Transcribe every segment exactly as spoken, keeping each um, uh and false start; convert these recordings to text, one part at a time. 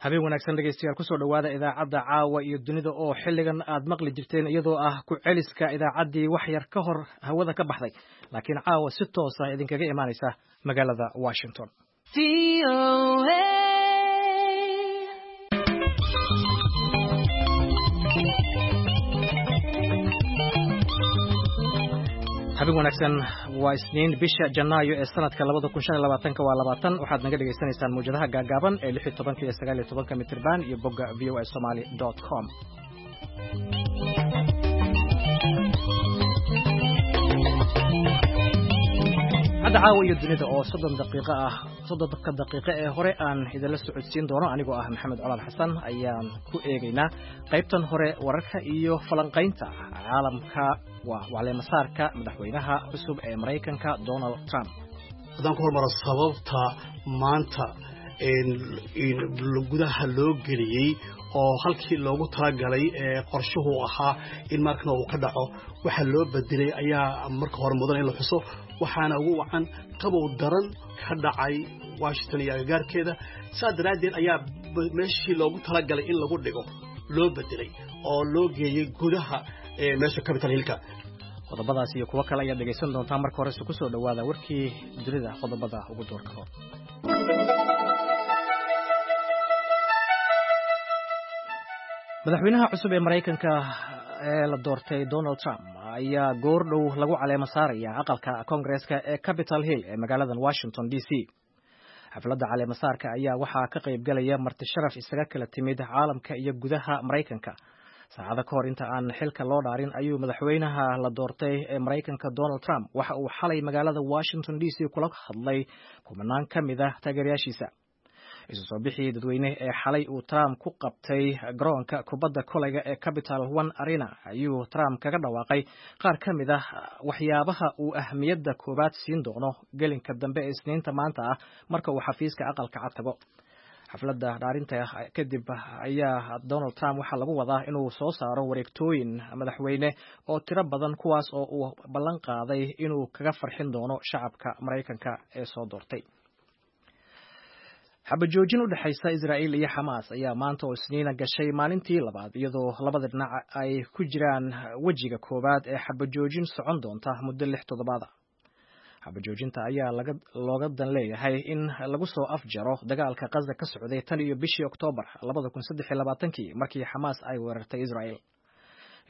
Habeen wanaagsan, dhegeystayaal. Kusoo dhowaada idaacadda Caawa iyo Dunida oo xilligan aad maqli jirteen, iyadoo ah ku celiska idaacaddii wax yar ka hor hawada ka baxday, laakiin caawa si toosa idinkaga imaanaysa magaalada Washington. Habeen wanaagsan. Waa Isniin, bisha Janaayo ee sanadka labada kun shan iyo labaatanka waa labaatan. Waxaad naga dhegaysanaysaan mawjadaha gaagaaban ee lix iyo tobanka iyo sagaal iyo tobanka mitirban iyo bogga V O A Somali dot com. Hadda Caawa iyo Dunida oo soddon daqiiqo ah, soddonka daqiiqo ee hore aan idinla socodsiin doono anigoo ah Maxamed Colaal Xasan, ayaan ku eegaynaa qaybtan hore wararka iyo falanqaynta caalamka, waa caleemasaarka madaxweynaha cusub ee Maraykanka, Donald Trump. Haddaan ku hormaro sababta maanta gudaha loo geliyey oo halkii loogu talagalay ee qorshuhu ahaa in markana uu ka dhaco waxa loo bedelay ayaa marka hore mudan in la xuso. Waxaana ugu wacan qabow daran ka dhacay Washington iyo agagaarkeeda. Saas daraaddeed ayaa meeshii loogu talagalay in lagu dhigo loo bedelay oo loo geeyey gudaha meesha Capitol Hillka. Qodobadaas iyo kuwo kale ayaad dhegaysan doontaa. Marka horese kusoo dhowaada warkii dunida, qodobada ugu doorka hor. Madaxweynaha cusub ee Maraykanka ee la doortay, Donald Trump, ayaa goor dhow lagu caleemo saaraya aqalka Koongareeska ee Capitol Hill ee magaaladan Washington D C. Xafladda caleemasaarka ayaa waxaa ka qayb galaya marti sharaf isaga kala timid caalamka iyo gudaha Maraykanka. Saacado ka hor inta aan xilka loo dhaarin ayuu madaxweynaha la doortay ee Maraykanka, Donald Trump, waxa uu xalay magaalada Washington D C kula hadlay kumanaan ka mid ah taageerayaashiisa. Isu soo bixii dadweyne ee xalay uu Trump ku qabtay garoonka kubadda kolayga ee Capital One Arena ayuu Trump kaga dhawaaqay qaar ka mid ah waxyaabaha uu ahmiyadda koowaad siin doono gelinka dambe ee Isniinta maanta ah marka uu xafiiska Aqalka Cad tago. Xafladda dhaarinta kadib ayaa Donald Trump waxaa lagu wadaa inuu soo saaro wareegtooyin madaxweyne oo tiro badan, kuwaas oo uu ballan qaaday inuu kaga farxin doono shacabka Maraykanka ee soo doortay. Xabajoojin u dhexaysa Israa'iil iyo Xamaas ayaa maanta oo Isniina gashay maalintii labaad, iyadoo labada dhinac ay ku jiraan wejiga koowaad ee xabajoojin socon doonta muddo lix toddobaada. Xabajoojinta ayaa looga dan leeyahay in lagu soo afjaro dagaalka Qaza ka socday tan iyo bishii Oktoobar labada kun saddex iyo labaatankii, markii Xamaas ay weerartay Israa'iil.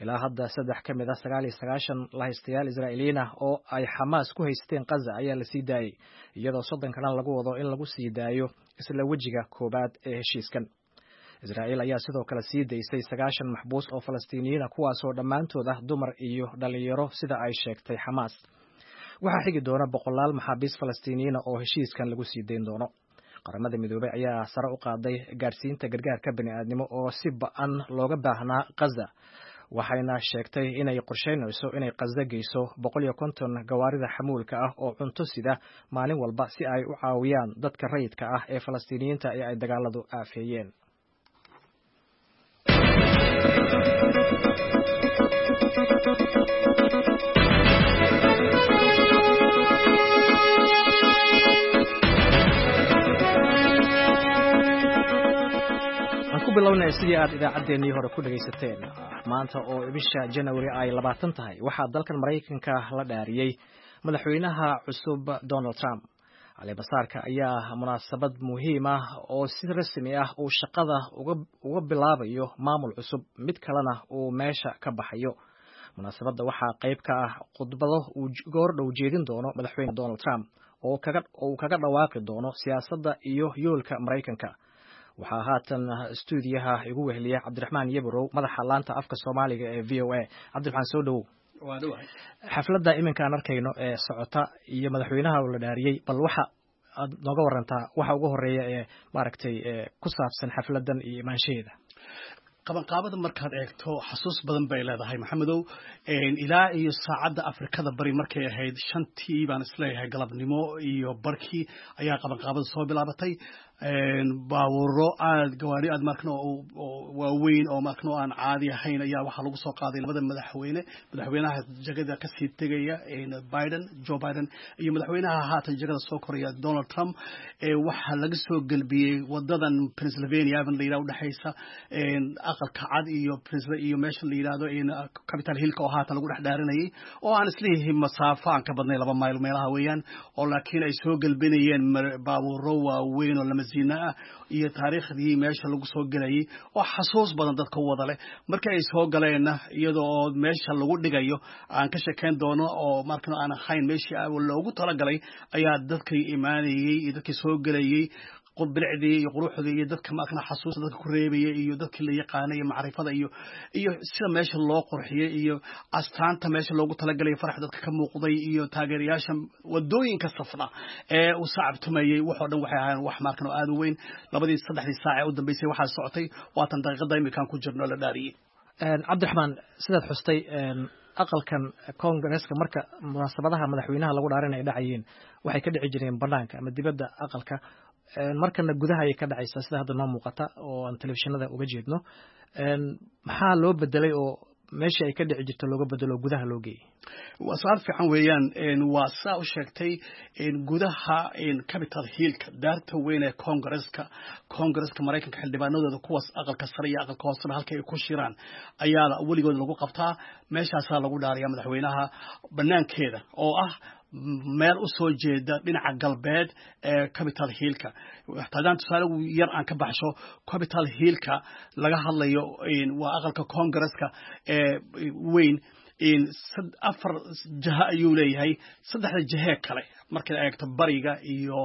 Ilaa hadda saddex ka mid ah sagaal iyo sagaashan lahaystayaal Israa'iiliyiin ah oo ay Xamaas ku haysteen Qaza ayaa la sii daayey, iyadoo soddon kalena lagu wado in lagu sii daayo isla wejiga koowaad ee heshiiskan. Israa'iil ayaa sidoo kale sii daysay sagaashan maxbuus oo Falastiiniyiin ah, kuwaasoo dhammaantood ah dumar iyo dhalinyaro, sida ay sheegtay Xamaas. Waxaa xigi doona boqolaal maxaabiis Falastiiniyiina oo heshiiskan lagu sii dayn doono. Qaramada Midoobey ayaa sare u qaaday gaarsiinta gargaarka bini'aadnimo oo si ba'an looga baahnaa Qaza, waxayna sheegtay inay qorsheynayso inay Qaza geyso boqol iyo konton gawaarida xamuulka ah oo cunto sida maalin walba, si ay u caawiyaan dadka rayidka ah ee Falastiiniyiinta ee ay dagaaladu aafeeyeen. Aan ku bilownay sidii aad idaacaddeenii hore ku dhegaysateen, maanta oo bisha Janawari ay labaatan tahay waxaa dalkan Maraykanka la dhaariyey madaxweynaha cusub, Donald Trump. Caleemasaarka ayaa munaasabad muhiim ah oo si rasmi ah uu shaqada uga bilaabayo maamul cusub, mid kalena uu meesha ka baxayo. Munaasabadda waxaa qayb ka ah khudbado uu goor dhow jeedin doono madaxweyne Donald Trump oo uu kaga dhawaaqi doono siyaasadda iyo yoolka Maraykanka. Waxaa haatan stuudiyaha igu weheliya Cabdiraxmaan Yebrow, madaxa laanta afka Soomaaliga ee V O A. Cabdiraxmaan, soo dhowow. Xafladda iminka aan arkayno ee socota iyo madaxweynaha oo la dhaariyey, bal waxa aad nooga warantaa waxa ugu horeeya ee maaragtay ku saabsan xafladdan iyo imaanshaheeda. Qabanqaabada markaad eegto xasuus badan bay leedahay, Maxamedow. Ilaa iyo saacadda Afrikada Bari markay ahayd shantii baan isleeyahay galabnimo iyo barkii ayaa qabanqaabada soo bilaabatay. Baabuuro aad gawaari aad markano waaweyn oo markano aan caadi ahayn ayaa waxaa lagu soo qaaday labada madaxweyne, madaxweynaha jagada kasii tegaya Biden, Joe Biden, iyo madaxweynaha haatan jagada soo koraya Donald Trump. Waxaa laga soo gelbiyey wadadan Pennsylvania Avenue la yidhahdo, udhexaysa Aqalka Cad iyo iyo meesha la yidhahdo Capitol Hillka oo haatan lagu dhex dhaarinayay, oo aan isleeyahay masaafo aan ka badnay laba mayl meelaha weeyaan, oo laakiin ay soo gelbinayeen baabuuro waaweyn oo lamasiina ah iyo taariikhdii meesha lagu soo gelayay oo xasuus badan dadka u wada leh. Markii ay soo galeenna, iyadoo oo meesha lagu dhigayo aan ka shekeyn doono oo markan aan ahayn meeshii loogu talagalay, ayaa dadkii imaanayey iyo dadkii soo gelayay bilicdii iyo quruxdii iyo dadka markana xasuusta dadka ku reebaya iyo dadkii la yaqaanay iyo macrifada iyo iyo sida meesha loo qurxiyey iyo astaanta meesha loogu talagalay, farax dadka ka muuqday iyo taageerayaasha wadooyinka safna ee uu sacabtumayey, waxoo dhan waxay ahaayeen wax markan oo aad u weyn. Labadii saddexdii saac ee u dambeysay waxaa socotay waatan daqiiqada imikaan ku jirno la dhaariyey. Cabdiraxmaan, sidaad xustay, aqalkan Koongareeska marka munaasabadaha madaxweynaha lagu dhaarin ay dhacayeen waxay ka dhici jireen banaanka ama dibadda aqalka. Markana gudaha ayay ka dhacaysaa, sida hadda noo muuqata oo aan telefishinada uga jeedno. Maxaa loo bedelay oo meeshii ay ka dhici jirta looga bedelo oo gudaha loo geeyey? Waa su-aal fiican weeyaan. Waa saa u sheegtay, gudaha Capitol Hillka, daarta weyn ee Congaresska Congaresska Maraykanka, xildhibaanadooda kuwaas aqalka sare iyo aqalka hooseba halka ay ku shiraan ayaa weligood lagu qabtaa. Meeshaasaa lagu dhaariyaa madaxweynaha banaankeeda oo ah meel u soo jeeda dhinaca galbeed ee Capitol Hillka. Haddaan tusaale yar aan ka baxsho, Capitol Hillka laga hadlayo waa aqalka Congaresska ee weyn. Afar jaha ayuu leeyahay. Saddexda jahee kale markaad eegto, bariga iyo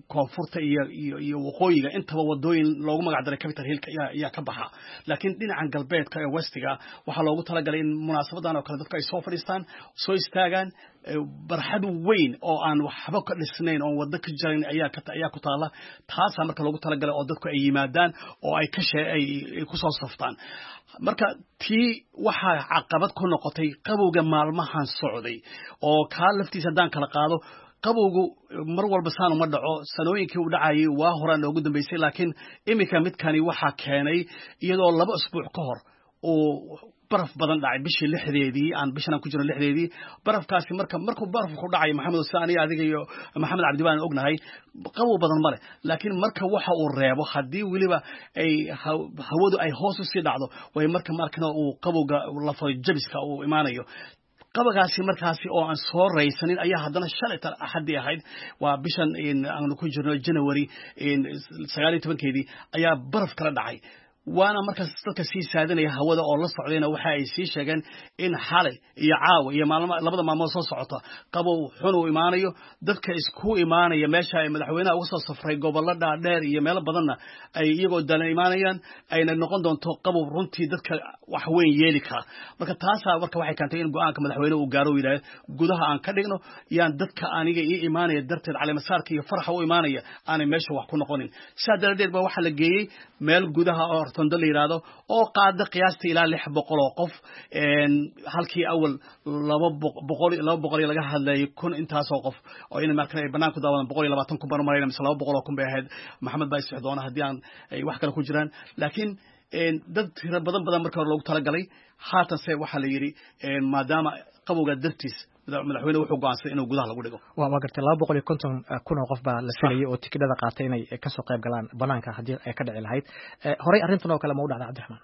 koonfurta iyo iyo iyo waqooyiga, intaba wadooyin loogu magac daray Capitol Hillka ayaa ka baxa, laakiin dhinacan galbeedka ee westiga waxaa loogu talagalay in munaasabadan oo kale dadku ay soo fadhiistaan, soo istaagaan. Barxad weyn oo aan waxba ka dhisnayn oon waddo ka jarayn ayaa ayaa ku taala. Taasaa marka loogu talagalay oo dadku ay yimaadaan oo ay ka shee ay kusoo saftaan. Marka tii waxaa caqabad ku noqotay qabowga maalmahan socday, oo kaa laftiisa haddaan kala qaado, qabowgu mar walba saan uma dhaco. Sanooyinkii uu dhacayay waa horaan noogu dambeysay, laakiin iminka midkani waxaa keenay iyadoo laba usbuuc ka hor uu baraf badan dhacay, bishii lixdeedii aan bishan aan ku jirno lixdeedii. Barafkaasi marka markuu barafku ku dhacayo, Maxamed, sida aniga adiga iyo Maxamed Cabdi baan ognahay, qabow badan male, laakiin marka waxa uu reebo haddii weliba ay hawadu ay hoos usii dhacdo way marka markana uu qabowga lafo jabiska uu imaanayo. Qabagaasi markaasi oo aan soo raysanin ayaa haddana shalay Axaddii ahayd, waa bishan aanu ku jirno January sagaal iyo tobankeedii, ayaa baraf kala dhacay. Waana markaas dadka sii saadinaya hawada oo la socdayna waxa ay sii sheegeen in xalay iyo caawa iyo maalmo labada maalmood soo socota qabow xun uu imaanayo. Dadka isku imaanaya meesha ay madaxweynaha uga soo safray gobollo dhaadheer iyo meelo badanna ay iyagoo dalan imaanayaan, ayna noqon doonto qabow runtii dadka wax weyn yeeli kara. Marka taasaa marka waxay keentay in go'aanka madaxweynuhu uu gaaro, uu yidhaahdo gudaha aan ka dhigno, yaan dadka aniga ii imaanaya darteed caleemasaarka iyo faraxa u imaanaya aanay meesha wax ku noqonin. Sidaa daradeed ba waxaa la geeyey meel gudaha oo Rotondo la yidhaahdo oo qaada qiyaasta ilaa lix boqol oo qof, halkii awal laba boqol laba boqol laga hadlayay kun intaasoo qof oo in markan ay banaanku daawadaan. Boqol iyo labaatan kun baan u marayna mise laba boqol oo kun bay ahayd, Maxamed baa isix doona haddii aan ay wax kale ku jiraan, laakiin dad tiro badan badan marka hore loogu talagalay. Haatanse waxaa la yidhi maadaama qabowga dartiis madaxweyne wuxuu go'aansaday inuu gudaha lagu dhigo. Waa waa gartay. Laba boqol iyo konton kun oo qof baa la filayay oo tikidhada qaatay inay kasoo qayb galaan banaanka haddii ay ka dhici lahayd. Horey arrintan oo kale ma u dhacday, Cabdiraxmaan?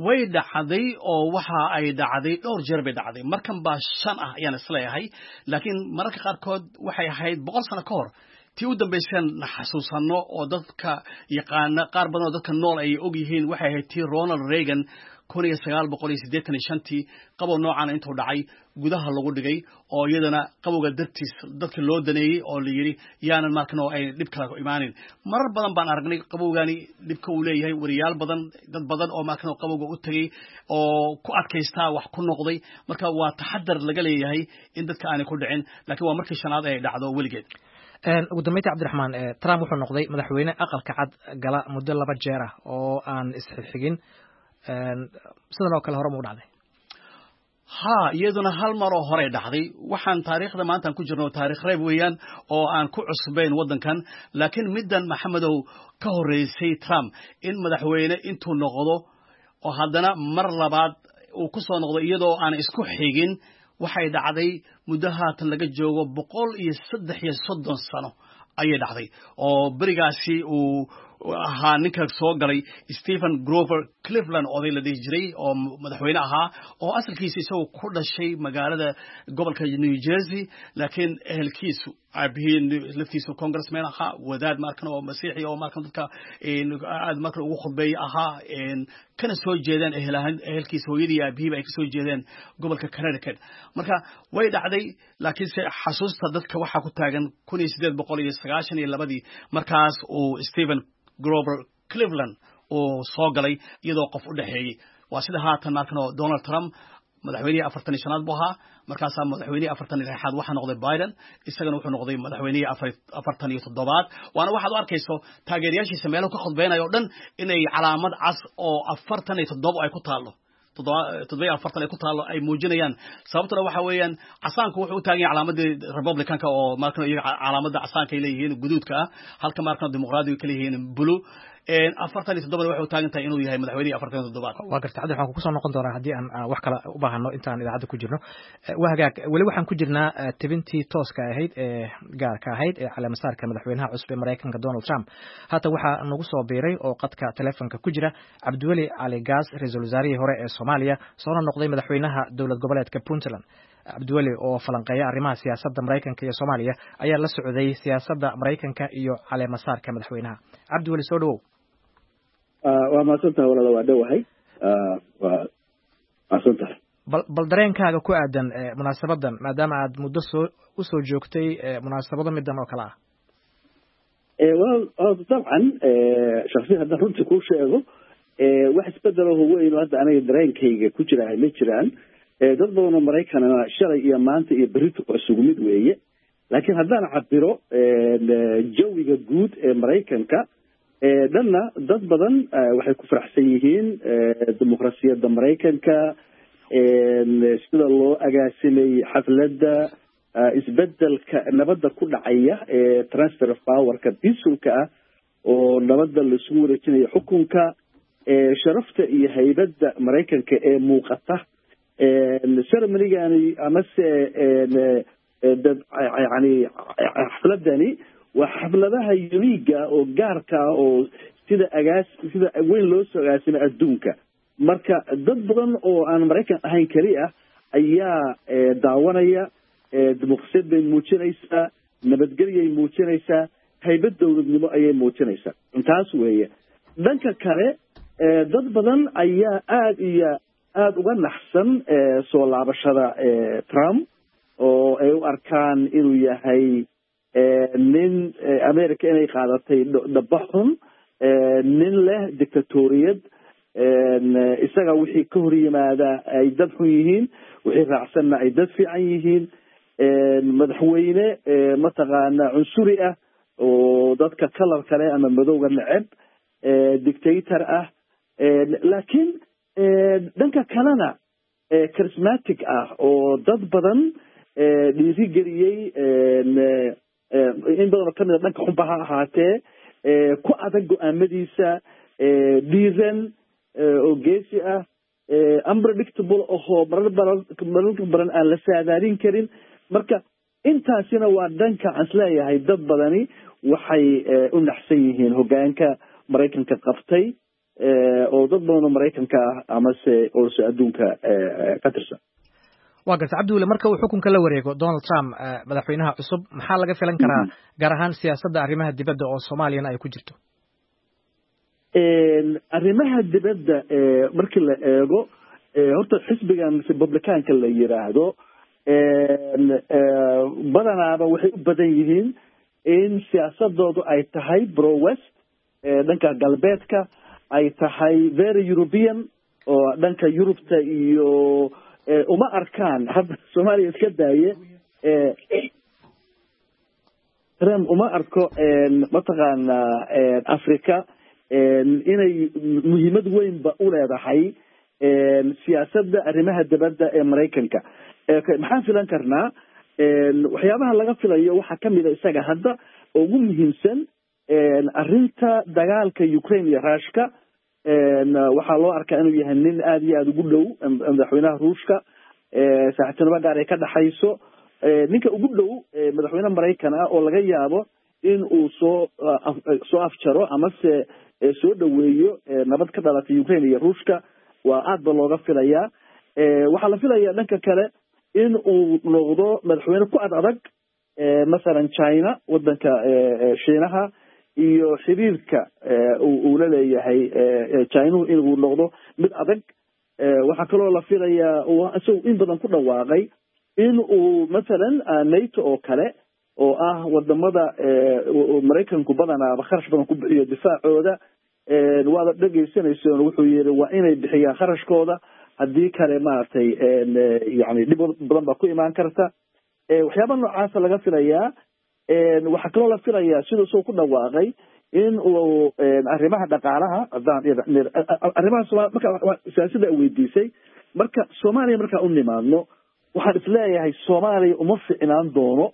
Way dhacday, oo waxa ay dhacday dhowr jeer bay dhacday. Markan baa shan ah ayaan isleeyahay, laakiin mararka qaarkood waxay ahayd boqol sano ka hor tii u dambayseen xasuusanno oo dadka yaqaana qaar badan oo dadka nool ay og yihiin. Waxay ahayd tii Ronald Reagan kun iyo sagaal boqol iyo siddeetan iyo shantii, qabow noocaana intuu dhacay gudaha lagu dhigay oo iyadana qabowga dartiis dadka loo daneeyey oo la yidhi yaanan markan oo ay dhib kale imaanin. Marar badan baan aragnay qabowgani dhibka uu leeyahay. Wariyaal badan, dad badan oo markan oo qabowga u tegey oo ku adkaystaa wax ku noqday. Marka waa taxadar laga leeyahay in dadka aanay ku dhicin, laakiin waa markii shanaad ay dhacdo weligeed. Ugu dambeyntii, Cabdiraxmaan, Trump wuxuu noqday madaxweyne Aqalka Cad gala muddo laba jeer ah oo aan isxigxigin. Sidan oo kale hore mu dhacday? Ha, iyaduna hal mar oo horey dhacday. Waxaan taariikhda maantaan ku jirno taarikh reeb weeyaan oo aan ku cusbayn waddankan, laakiin middan, Maxamedow, ka horreysay Trump in madaxweyne intuu noqdo oo haddana mar labaad uu ku soo noqdo iyadoo aan isku xigin, waxay dhacday muddo haatan laga joogo boqol iyo saddex iyo soddon sano ayay dhacday, oo berigaasi uu ahaa ninka soo galay Stephen Grover Cleveland, oday la dhihi jiray oo madaxweyne ahaa, oo asalkiisa isagoo ku dhashay magaalada gobolka New Jersey, laakiin ehelkiisu aabihiin laftiisu congressman ahaa, wadaad markan oo masiixi oo markan dadka aad markan ugu khudbeeya ahaa, kana soo jeedeen ehelahan ehelkiisa, hooyadii aabihiiba ay kasoo jeedeen gobolka Connecticut. Marka way dhacday, laakiinse xasuusta dadka waxaa ku taagan kun iyo siddeed boqol iyo sagaashan iyo labadii markaas uu Stephen Grover Cleveland uu soo galay iyadoo qof u dhexeeyey. Waa sida haatan markan oo Donald Trump madaxweynihii afartan iyo shanaad buu ahaa, markaasaa madaxweynihii afartan iyo lixaad waxaa noqday Biden, isagana wuxuu noqday madaxweynihii afartan iyo toddobaad. Waana waxaad u arkayso taageerayaashiisa meelahu ka khudbeynayo o dhan inay calaamad cas oo afartan iyo toddoba ay ku taallo, toddoba iyo afartan ay ku taallo, ay muujinayaan. Sababtuna waxa weeyaan casaanku wuxuu u taagan yahay calaamadii Republicanka, oo markan iyaga calaamadda casaanka ay leeyihiin guduudka ah, halka markan Dimuqraadiga ka leeyihiin blue. Afartan iyo toddobana waxay u taagan tahay inuu yahay madaxweynihii afartan iyo toddobaad. Waa garta, Cabdi, waxaan kusoo noqon doonaa haddii aan wax kale u baahano intaan idaacadda ku jirno. Waa hagaag, weli waxaan ku jirnaa tebintii tooska ahayd ee gaarka ahayd ee caleemasaarka madaxweynaha cusub ee Maraykanka Donald Trump. Haatan waxaa nagu soo biiray oo qadka telefonka ku jira Cabdiweli Cali Gaas, ra-iisul wasaarihii hore ee Soomaaliya, soona noqday madaxweynaha dowlad goboleedka Puntland. Cabdiweli oo falanqeeya arrimaha siyaasadda Maraykanka iyo Soomaaliya ayaa la socday siyaasadda Maraykanka iyo caleemasaarka madaxweynaha. Cabdiweli, soo dhawow. Waa mahadsantahay walaala, waa dhowahay, waa mahadsantahay. Bal bal dareenkaaga ku aadan munaasabadan, maadaama aad muddo soo usoo joogtay munaasabado midan oo kale ah. Well, dabcan, shaksiyan haddaan runtii kuu sheego, wax isbedelaho weyn oo hadda aniga dareenkayga ku jira ma jiraan. Dad badan oo Maraykanana shalay iyo maanta iyo berrito waa isugu mid weeye. Laakiin haddaan cabiro jawiga guud ee Maraykanka dhanna, dad badan waxay ku faraxsan yihiin dimuqrasiyadda Maraykanka, sida loo agaasimay xafladda, isbedelka nabadda ku dhacaya ee transfer of powerka peacefulka ah oo nabadda laisugu wareejinayo xukunka, sharafta iyo haybadda Maraykanka ee muuqata ceremonygani amase dad yani xafladani waa xafladaha uniquega oo gaarka ah oo sida agaas sida weyn loo soo agaasimay adduunka. Marka dad badan oo aan Maraykan ahayn keli ah ayaa daawanaya. Dimuqrasiyad bay muujinaysaa, nabadgelyay muujinaysaa, haybad dowladnimo ayay muujinaysaa, intaas weeye. Dhanka kale, dad badan ayaa aada iyo aada uga naxsan soo laabashada Trump, oo ay u arkaan inuu yahay nin America inay qaadatay dhaba xun, nin leh dictatoriyad, isaga wixii ka hor yimaada ay dad xun yihiin, wixii raacsanna ay dad fiican yihiin, madaxweyne mataqaana cunsuri ah oo dadka kalar kale ama madowga neceb, dictator ah, laakiin dhanka kalena charismatic ah oo dad badan dhiirigeliyey, in badan oo kamid a dhanka xunba ha ahaatee, ku adag go-aamadiisa, dhiiran oo geesi ah, unpredictable ahoo marar baran mararka badan aan la saadaalin karin. Marka intaasina waa dhanka aan isleeyahay dad badani waxay u naxsan yihiin hoggaanka Maraykanka qabtay, oo dad badan oo Maraykanka ah amase oose adduunka ka tirsan. Waa garta, Cabdiweli. Marka uu xukunka la wareego Donald Trump, madaxweynaha cusub, maxaa laga filan karaa, gaar ahaan siyaasadda arrimaha dibadda oo Soomaaliyana ay ku jirto? Arrimaha dibadda markii la eego, horta xisbigan Republicanka la yiraahdo badanaaba waxay u badan yihiin in siyaasadoodu ay tahay pro West, dhanka galbeedka ay tahay, very European oo dhanka Yurubta, iyo uma arkaan hadda Soomaaliya iska daaye. Trump uma arko mataqaanaa Africa inay muhiimad weynba u leedahay siyaasadda arrimaha dibadda ee Maraykanka. Maxaan filan karnaa? Waxyaabaha laga filayo waxaa kamid a isaga hadda ugu muhiimsan arrinta dagaalka Ukraine iyo Ruushka. Waxaa loo arkaa inuu yahay nin aada iyo aada ugu dhow madaxweynaha Ruushka, saaxiibtinimo gaar ay ka dhexayso, ninka ugu dhow madaxweyne Maraykan ah oo laga yaabo in uu soo soo afjaro amase soo dhoweeyo nabad ka dhalatay Ukraine iyo Ruushka, waa aad ba looga filayaa. Waxaa la filayaa dhanka kale in uu noqdo madaxweyne ku ad adag masalan China, wadanka Shiinaha, iyo xiriirka uu la leeyahay Chinuhu inuu noqdo mid adag. Waxaa kaloo la filayaa, isagu in badan ku dhawaaqay, in uu masalan NATO oo kale, oo ah wadamada Maraykanku badanaaba kharash badan ku bixiyo difaacooda, waada dhegeysanaysoon, wuxuu yiri waa inay bixiyaan kharashkooda, haddii kale maaragtay yani dhib badan baa ku imaan karta. Waxyaaba noocaasa laga filayaa. Waxaa kaloo la filayaa, siduu isagoo ku dhawaaqay, in uu arrimaha dhaqaalaha, arrimaha Somal, marka siyaasadda weydiisay, marka Soomaaliya markaa u nimaadno, waxaan isleeyahay Soomaaliya uma ficnaan doono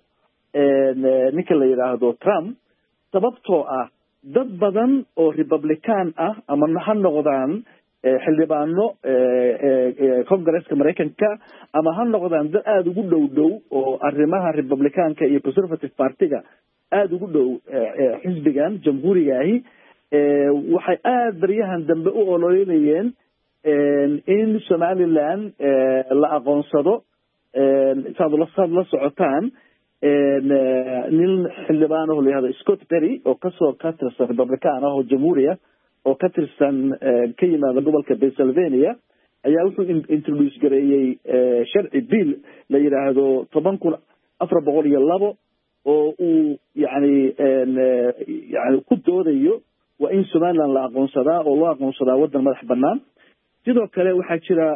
ninka la yidhaahdo Trump, sababtoo ah dad badan oo Republican ah, ama ha noqdaan xildhibaano Congresska Maraykanka ama ha noqdaan dad aada ugu dhow dhow oo arrimaha Republicanka iyo Conservative Partyga aada ugu dhow xisbigan Jamhuurigaahi, waxay aada baryahan dambe u ololeynayeen in Somaliland la aqoonsado. Saad saad la socotaan, nin xildhibaan oo la yihahdo Scott Perry oo kasoo ka tirsan Republican ah oo Jamhuuriya oo ka tirsan ka yimaada gobolka Pennsylvania ayaa wuxuu introduce gareeyey sharci bill la yidhaahdo toban kun afar boqol iyo labo oo uu yani yani ku doodayo waa in Somaliland la aqoonsadaa oo loo aqoonsadaa waddan madax banaan. Sidoo kale waxaa jira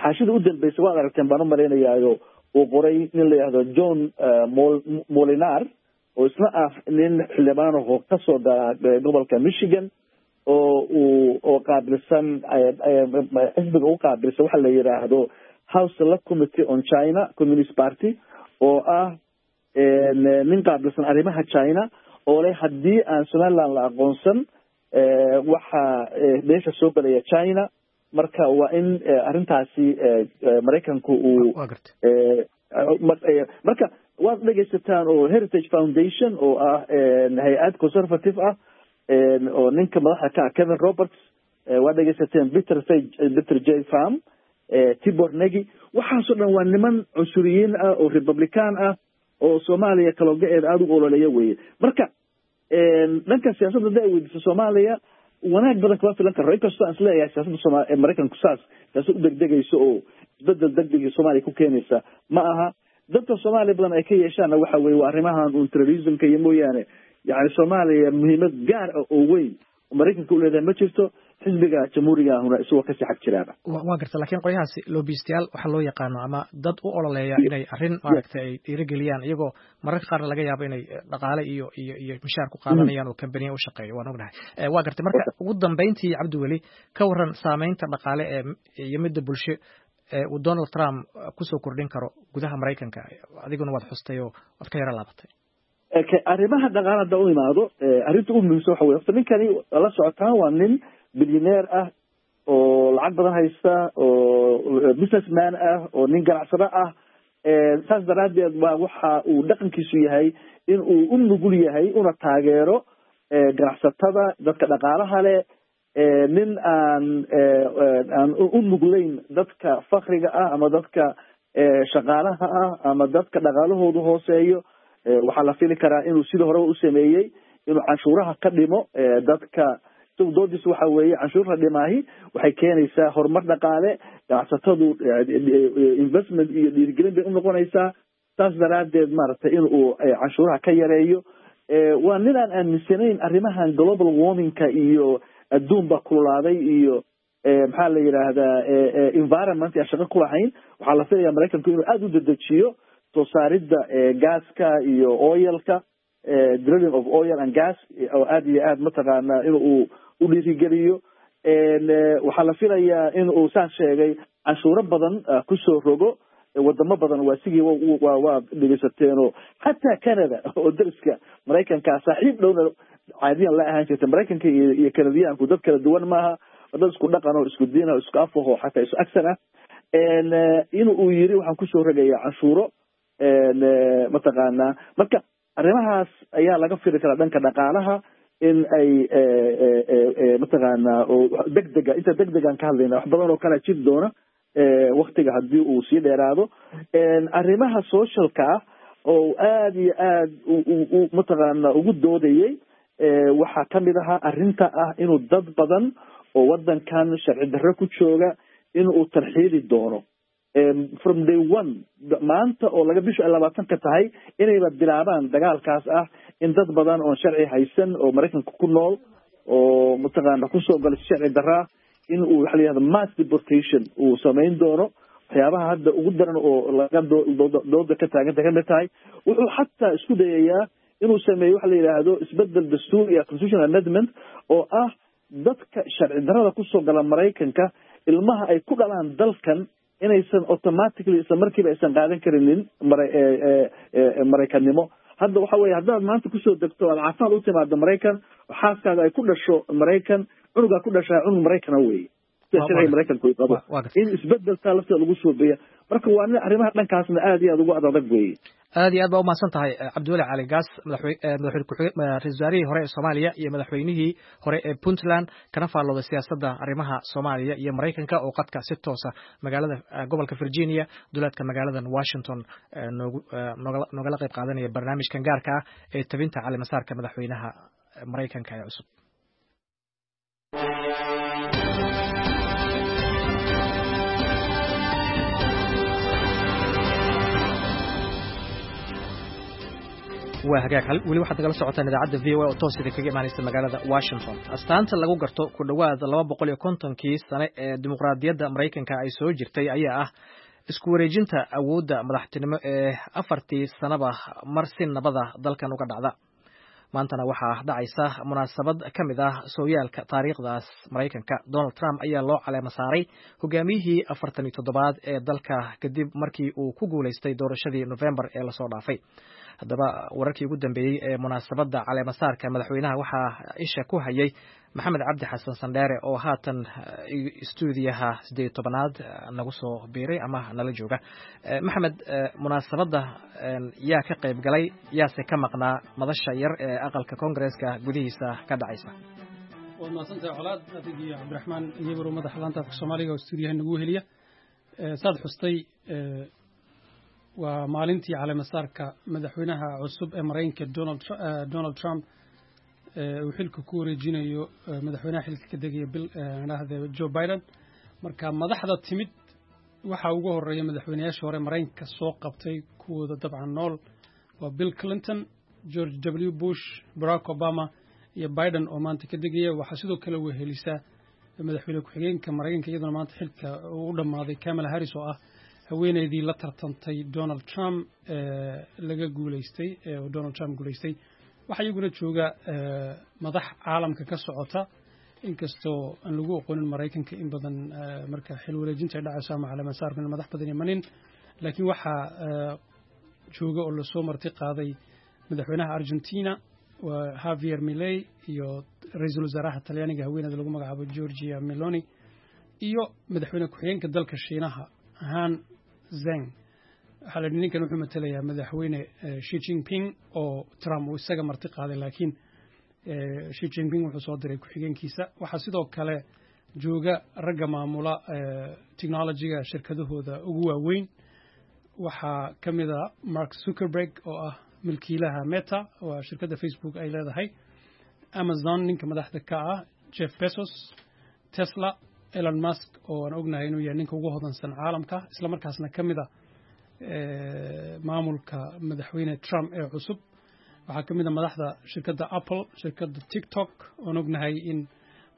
xaashida u dambeysa, waad aragteen baan u malaynayaayo, uu qoray nin la yihahdo John Molinar oo isna ah nin xildhibaan oo kasoo gala gobolka Michigan oo uu oo qaabilsan xisbiga u qaabilsan waxa la yidhaahdo House Select Committee on China Communist Party, oo ah nin qaabilsan arrimaha China, oo leh haddii aan Somaliland la aqoonsan waxaa meesha soo gelaya China, marka waa in arrintaasi Maraykanku uu marka waad dhegaysataan oo Heritage Foundation oo ah hay-ad conservative ah oo ninka madaxda ka ah Kevin Roberts, waad dhegaysateen Peter Peter J Pham, Tibor Nagy, waxaasoo dhan waa niman cunsuriyiin ah oo Republican ah oo Soomaaliya kalooga-eeda aada u ololeeya weeye. Marka dhanka siyaasadda hadda ay weydiiso, Soomaaliya wanaag badan kama filan karo, inkastoo aan isleeyahay siyaasadda sooma Maraykanku saas siyaasad u degdegayso oo isbedel degdega Soomaaliya ku keenaysa ma aha. Dadka Soomaaliya badan ay ka yeeshaanna waxa weye waa arrimahan un terrorismka iyo mooyaane, yani Soomaaliya muhiimad gaar ah oo weyn oo Maraykanka u leedahay ma jirto, xisbiga Jamhuuriga ahuna isagoo kasii xag jiraaba. Waa garta, laakiin qolyahaasi lobbystayaal waxaa loo yaqaano ama dad u ololeeya inay arrin maaragtay ay dhiirigeliyaan, iyagoo mararka qaarna laga yaabo inay dhaqaale iyo iyo iyo mishaar ku qaadanayaan oo kambaniya u shaqeeyo, waan ognahay. Waa gartay. Marka ugu dambeyntii, Cabdiweli, ka waran saameynta dhaqaale ee iyo midda bulsho ee uu Donald Trump kusoo kordhin karo gudaha Maraykanka? Adiguna waad xustay oo waad ka yaro laabatay. Arrimaha dhaqaale hadda u imaado, arrinta ugu muhiimsan waxa wey horta ninkani la socotaan waa nin bilyaneer ah oo lacag badan haysta oo businessman ah oo nin ganacsado ah. Saas daraaddeed waa waxa uu dhaqankiisu yahay in uu u nugul yahay una taageero ganacsatada, dadka dhaqaalaha leh, nin aan aan u nuglayn dadka fakriga ah ama dadka shaqaalaha ah ama dadka dhaqaalahoodu hooseeyo. Waxaa la fili karaa inuu sidii horeba u sameeyey inuu canshuuraha ka dhimo dadka. Isagu doodiisu waxa weeye canshuurta dhimaahi waxay keenaysaa horumar dhaqaale, ganacsatadu investment iyo dhiirigelin bay unoqonaysaa, saas daraaddeed maaragtay in uu canshuuraha ka yareeyo. Waa nin aan aaminsanayn arrimahan global warmingka iyo adduun baa kululaaday iyo maxaa la yidhaahdaa environment aan shaqo ku lahayn. Waxaa la filayaa Maraykanku inuu aada u dedejiyo soo saaridda gaaska iyo oilka. Drilling of oil and gas oo aada iyo aad mataqaanaa in uu u dhiirigeliyo. Waxaa la filayaa in uu saan sheegay canshuuro badan kusoo rogo wadamo badan. Waa sigii wa waa dhegeysateeno, xataa Canada oo dariska Maraykanka saaxiib dhowna caadiyan la ahaan jirta. Maraykanka iyo iyo Canadiyaanku dad kala duwan maaha, dad isku dhaqan oo isku diin oo isku afaho, xataa isku agsan ah. In uu yiri waxaan kusoo rogayaa canshuuro mataqaanaa. Marka arrimahaas ayaa laga fili karaa dhanka dhaqaalaha in ay mataqaanaa oo degdega, inta degdegaan ka hadlayna, wax badan oo kalea jiri doona waktiga haddii uu sii dheeraado. Arrimaha socialka ah oo aada iyo aad u mataqaana ugu doodayay waxaa kamid ahaa arrinta ah inuu dad badan oo waddankan sharci darro ku jooga in uu tarxiili doono from day one, maanta oo laga bishu ay labaatanka tahay, inayba bilaabaan dagaalkaas ah in dad badan oon sharci haysan oo Maraykanka ku nool oo mataqaana kusoo galay si sharci darraa in uu waxa la yihahdo mass deportation uu samayn doono. Waxyaabaha hadda ugu daran oo laga dooda ka taaganta kamid tahay. Wuxuu xataa isku dayayaa inuu sameeyo waxa la yidhaahdo isbedel dastuuri ah, constitutional amendment, oo ah dadka sharci darrada kusoo gala Maraykanka ilmaha ay ku dhalaan dalkan inaysan automatically isla markiiba aysan qaadan karinin mara Maraykannimo. Hadda waxa weye haddaad maanta kusoo degto, aad caafimaad u timaado Maraykan, xaaskaaga ay ku dhasho Maraykan, cunugaa ku dhashaa cunug Maraykana weeye sida sharciga Maraykanku ay qabo, in isbedelkaa lafteeda lagu suubiya. Marka waa nin arrimaha dhankaasna aada iyo aada ugu ad adag weeye. Aad iyo aad baa umahadsan tahay, Cabdiweli Cali Gaas, madaxwe madaxweyne ku ra-isul wasaarihii hore ee Soomaaliya iyo madaxweynihii hore ee Puntland, kana faallooday siyaasadda arrimaha Soomaaliya iyo Maraykanka, oo qadka si toosa magaalada gobolka Virginia, duleedka magaaladan Washington, noogu noogala noogala qayb qaadanaya barnaamijkan gaarka ah ee tabinta calimasaarka madaxweynaha Maraykanka ee cusub. Waa hagaag, weli waxaad nagala socotaan idaacadda V O A oo toos idin kaga imaanaysa magaalada Washington. Astaanta lagu garto ku dhowaad laba boqol iyo kontonkii sane ee dimuqraadiyadda Maraykanka ay soo jirtay ayaa ah isku wareejinta awoodda madaxtinimo ee afartii sanaba mar si nabada dalkan uga dhacda. Maantana waxaa dhacaysa munaasabad ka mid ah sooyaalka taariikhdaas Maraykanka. Donald Trump ayaa loo caleema saaray hogaamiyihii afartan iyo toddobaad ee dalka kadib markii uu ku guulaystay doorashadii Novembar ee lasoo dhaafay. Haddaba wararkii ugu dambeeyey ee munaasabadda caleemasaarka madaxweynaha waxaa isha ku hayay Maxamed Cabdi Xasan Sandheere oo haatan stuudiyaha siddeed iyo tobanaad nagu soo biiray ama nala jooga. Maxamed, munaasabadda yaa ka qayb galay, yaase ka maqnaa madasha yar ee aqalka Koongareeska gudihiisa ka dhacaysa? Waad mahadsantahay, Colaad, adig iyo Cabdiraxmaan Iyagoro, madaxa laanta afka Soomaaliga oo stuudiyaha nagu heliya. Saad xustay, waa maalintii caleemasaarka madaxweynaha cusub ee Maraykanka Donald Donald Trump uu xilka ku wareejinayo madaxweynaha xilka ka degaya Bill dhahde Joe Biden. Marka madaxda timid waxaa ugu horeeya madaxweynayaashii hore Maraykanka soo qabtay, kuwooda dabcan nool, waa Bill Clinton, George W Bush, Barack Obama iyo Biden oo maanta ka degaya. Waxaa sidoo kale wehelisa madaxweyne ku-xigeenka Maraykanka, iyaduna maanta xilka uu u dhammaaday, Kamala Harris, oo ah haweeneydii la tartantay Donald Trump laga guulaystay oo Donald Trump guulaystay. Waxaa iyaguna jooga madax caalamka ka socota, inkastoo aan lagu oqonin Maraykanka in badan marka xil wareejinta ay dhacayso ama caleemasaarku in madax badan imanin, laakiin waxaa jooga oo lasoo marti qaaday madaxweynaha Argentina, waa Javier Milei, iyo ra-iisul wasaaraha Talyaaniga, haweeneyda lagu magacaabo Giorgia Meloni, iyo madaxweyne ku-xigeenka dalka Shiinaha, Han Zeng. Waxaa la yidhi ninkan wuxuu matalayaa madaxweyne Xi Jinping oo Trump uu isaga marti qaaday, laakiin Xi Jinping wuxuu soo diray ku-xigeenkiisa. Waxaa sidoo kale jooga ragga maamula technologyga shirkadahooda ugu waaweyn. Waxaa ka mid a Mark Zuckerberg oo ah milkiilaha Meta, waa shirkadda Facebook ay leedahay, Amazon ninka madaxda ka ah Jeff Bezos, Tesla Elon Musk oo aan ognahay inuu yahay ninka ugu hodansan caalamka, isla markaasna ka mid a maamulka madaxweyne Trump ee cusub. Waxaa ka mid a madaxda shirkadda Apple, shirkadda TikTok oon ognahay in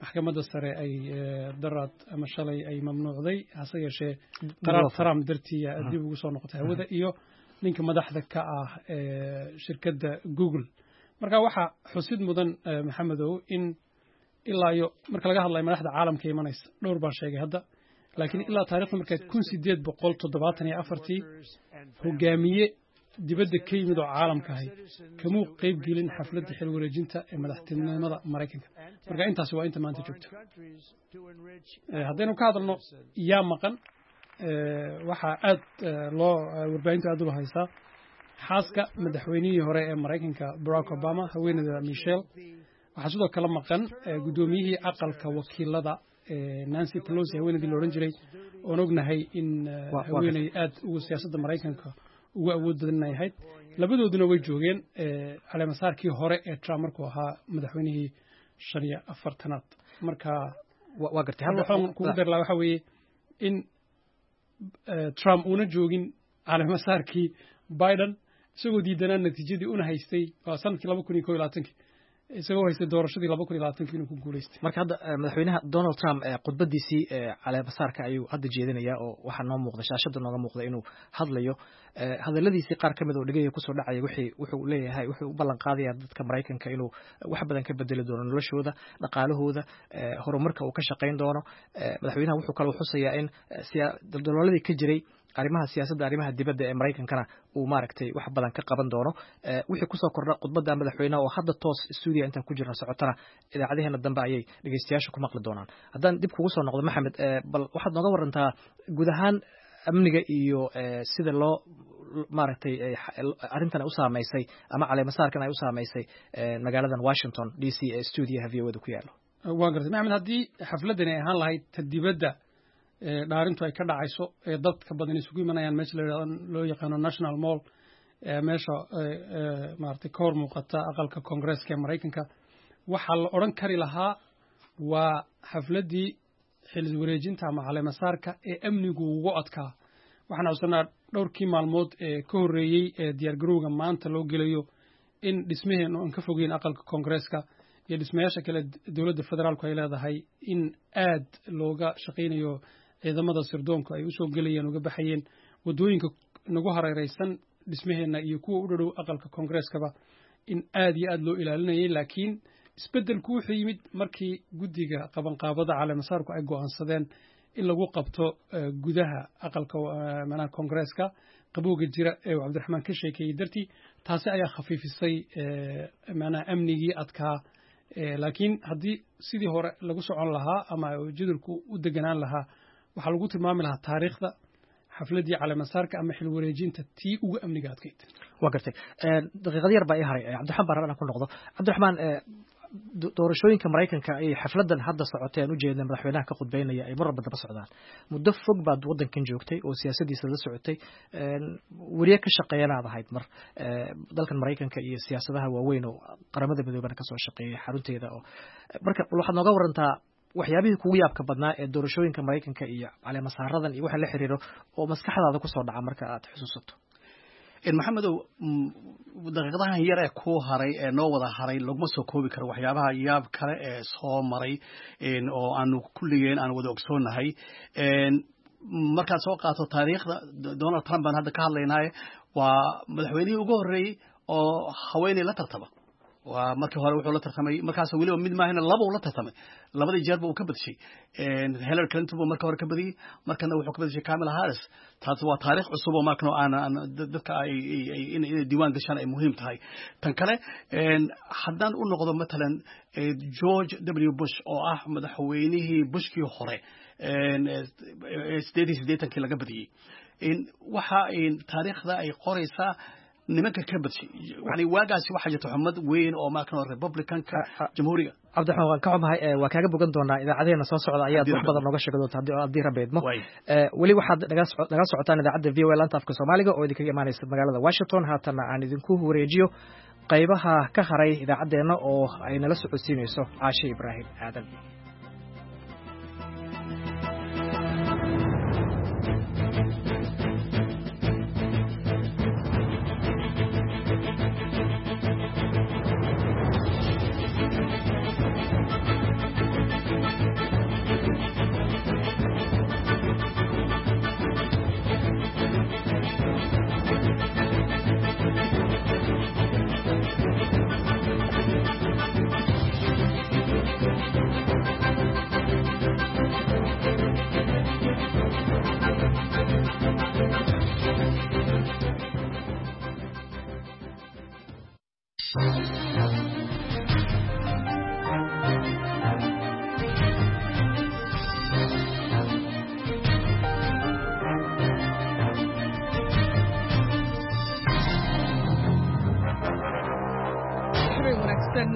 maxkamadda sare ay daraad ama shalay ay mamnuucday, hase yeeshee qaraar Trump dartii dib ugu soo noqotay hawada, iyo ninka madaxda ka ah shirkadda Google. Marka waxaa xusid mudan, Maxamedow, in ilaa iyo marka laga hadlayo madaxda caalamka imanaysa, dhowr baan sheegay hadda, laakiin ilaa taarikhda markayd kun sideed boqol toddobaatan iyo afartii hogaamiye dibadda ka yimid oo caalamka ahay kamuu qayb gelin xafladda xil wareejinta ee madaxtinimada Maraykanka. Marka intaasi waa inta maanta joogta. Haddaynu ka hadalno yaa maqan, waxaa aad loo warbaahintu aad ula haysaa xaaska madaxweynihii hore ee Maraykanka Barack Obama, haweeneyda Michelle. Waxaa sidoo kale maqan guddoomiyihii aqalka wakiilada Nancy Pelosi, haweeneydii la odhan jiray, oon ognahay in haweeney aad ugu siyaasadda Maraykanka ugu awood badan inay ahayd. Labadooduna way joogeen caleemasaarkii hore ee Trump markuu ahaa madaxweynihii shan iyo afartanaad. Marka waa gartay. Waxaan kugu dar lahaa waxa weeye in Trump uuna joogin caleemasaarkii Biden, isagoo diidanaa natiijadii una haystay waa sanadkii laba kun iyo kow iyo labaatankii, isagoo haystay doorashadii laba kun iyo labaatankii inuu ku guuleystay. Marka hadda madaxweynaha Donald Trump khudbadiisii caleemasaarka ayuu hadda jeedinayaa, oo waxaa noo muuqda shaashada nooga muuqda inuu hadlayo. Hadaladiisii qaar ka mid oo dhegaya kusoo dhacaya wixii wuxuu leeyahay, wuxuu u ballan qaadayaa dadka Maraykanka inuu wax badan ka bedeli doono noloshooda, dhaqaalahooda, horumarka uu ka shaqayn doono. Madaxweynaha wuxuu kaloo xusayaa in daldalooladii ka jiray arrimaha siyaasadda arrimaha dibadda ee Maraykankana uu maaragtay wax badan ka qaban doono. Wixii kusoo kordha khudbadda madaxweynaha oo hadda toos stuudiya intaan ku jirna socotana, idaacadaheena dambe ayay dhegeystayaasha ku maqli doonaan. Haddaan dib kugu soo noqdo, Maxamed, bal waxaad nooga warantaa guud ahaan amniga iyo sida loo maaragtay arrintan ay u saameysay ama caleemasaarkan ay u saameysay magaaladan Washington D C ee stuudiyaha V O da ku yaalo. Waa gartay, Maxamed. Haddii xafladani ay ahaan lahayd ta dibadda dhaarintu ay ka dhacayso ee dadka badan isugu imanayaan meesha loo yaqaano National Mall, meesha maaragtay ka hor muuqata aqalka Koongreeska ee Maraykanka, waxaa la odhan kari lahaa waa xafladdii xil wareejinta ama caleemasaarka ee amnigu ugu adkaa. Waxaan xusanaa dhowrkii maalmood ee ka horreeyey ee diyaargarowga maanta loo gelayo in dhismaheennu aan ka fogeyn aqalka Koongreeska iyo dhismayaasha kale dowladda federaalku ay leedahay in aad looga shaqaynayo, ciidamada sirdoonku ay usoo gelayeen, uga baxayeen waddooyinka nagu hareeraysan dhismaheenna iyo kuwa u dhadhow aqalka Koongreeskaba in aad iyo aad loo ilaalinayay. Laakiin isbeddelku wuxuu yimid markii guddiga qabanqaabada caleemasaarku ay go'aansadeen in lagu qabto gudaha aqalka macnaha Koongreeska, qabowga jira ee uu Cabdiraxmaan ka sheekeeyey dartii. Taasi ayaa khafiifisay macnaha amnigii adkaa. Laakiin haddii sidii hore lagu socon lahaa ama jadwalku u deganaan lahaa, waxaa lagu tilmaami lahaa taariikhda xafladdii caleemasaarka ama xil wareejinta tii ugu amniga adkayd. Waa gartay. Daqiiqad yar baa ii haray. Cabdiraxmaan baan rabaa inaan ku noqdo. Cabdiraxmaan, doorashooyinka Maraykanka ay xafladan hadda socotay aan ujeedna madaxweynaha ka khudbeynaya ay mar walba daba socdaan. Muddo fog baad waddankan joogtay oo siyaasadiisa la socotay, weriye ka shaqeeyana aad ahayd mar dalkan Maraykanka iyo siyaasadaha waaweyn oo Qaramada Midoobana kasoo shaqeeyay xarunteeda. Oo marka waxaad nooga warantaa waxyaabihii kugu yaabka badnaa ee doorashooyinka Maraykanka iyo caleemasaaradan iyo waxa la xiriiro oo maskaxdaada kusoo dhaca marka aad xusuusato. Maxamedow, daqiiqadahan yar ee ku haray ee noo wada haray laguma soo koobi karo waxyaabaha yaab kale ee soo maray oo aanu kulligeen aan wada ogsoonahay. Markaad soo qaato taariikhda Donald Trump baan hadda ka hadlaynaaye, waa madaxweynihii ugu horreeyey oo haweeney la tartama. Waa markii hore wuxuu la tartamay, markaas weliba mid maahina laba uu la tartamay, labadii jeerba uu ka badshay. Hillary Clinton buu marka hore ka badiyey, markana wuxuu ka badshay Kamala Harris. Taas waa taariikh cusub oo markan aan dadka ay inay diiwaan gashaan ay muhiim tahay. Tan kale, haddaan u noqdo matalan George W Bush oo ah madaxweynihii Bushkii hore sideed iyo siddeetankii laga badiyey, waxa taariikhda ay qoraysaa nimanka ka badshay, yani waagaasi waxaa jirta xumad weyn oo markan Republicanka jamhuuriga. Cabdiraxmaan, waan ka xumahay, waa kaaga bogan doonaa idaacadeena soo socda ayaad wax badan nooga sheegi doonta haddii Rabbi idmo. Weli waxaad nagala socotaan idaacadda V O A laanta afka Soomaaliga oo idinkaga imaanaysa magaalada Washington. Haatanna aan idinku wareejiyo qaybaha ka haray idaacaddeenna oo ay nala socodsiinayso Caashe Ibraahim Aadan.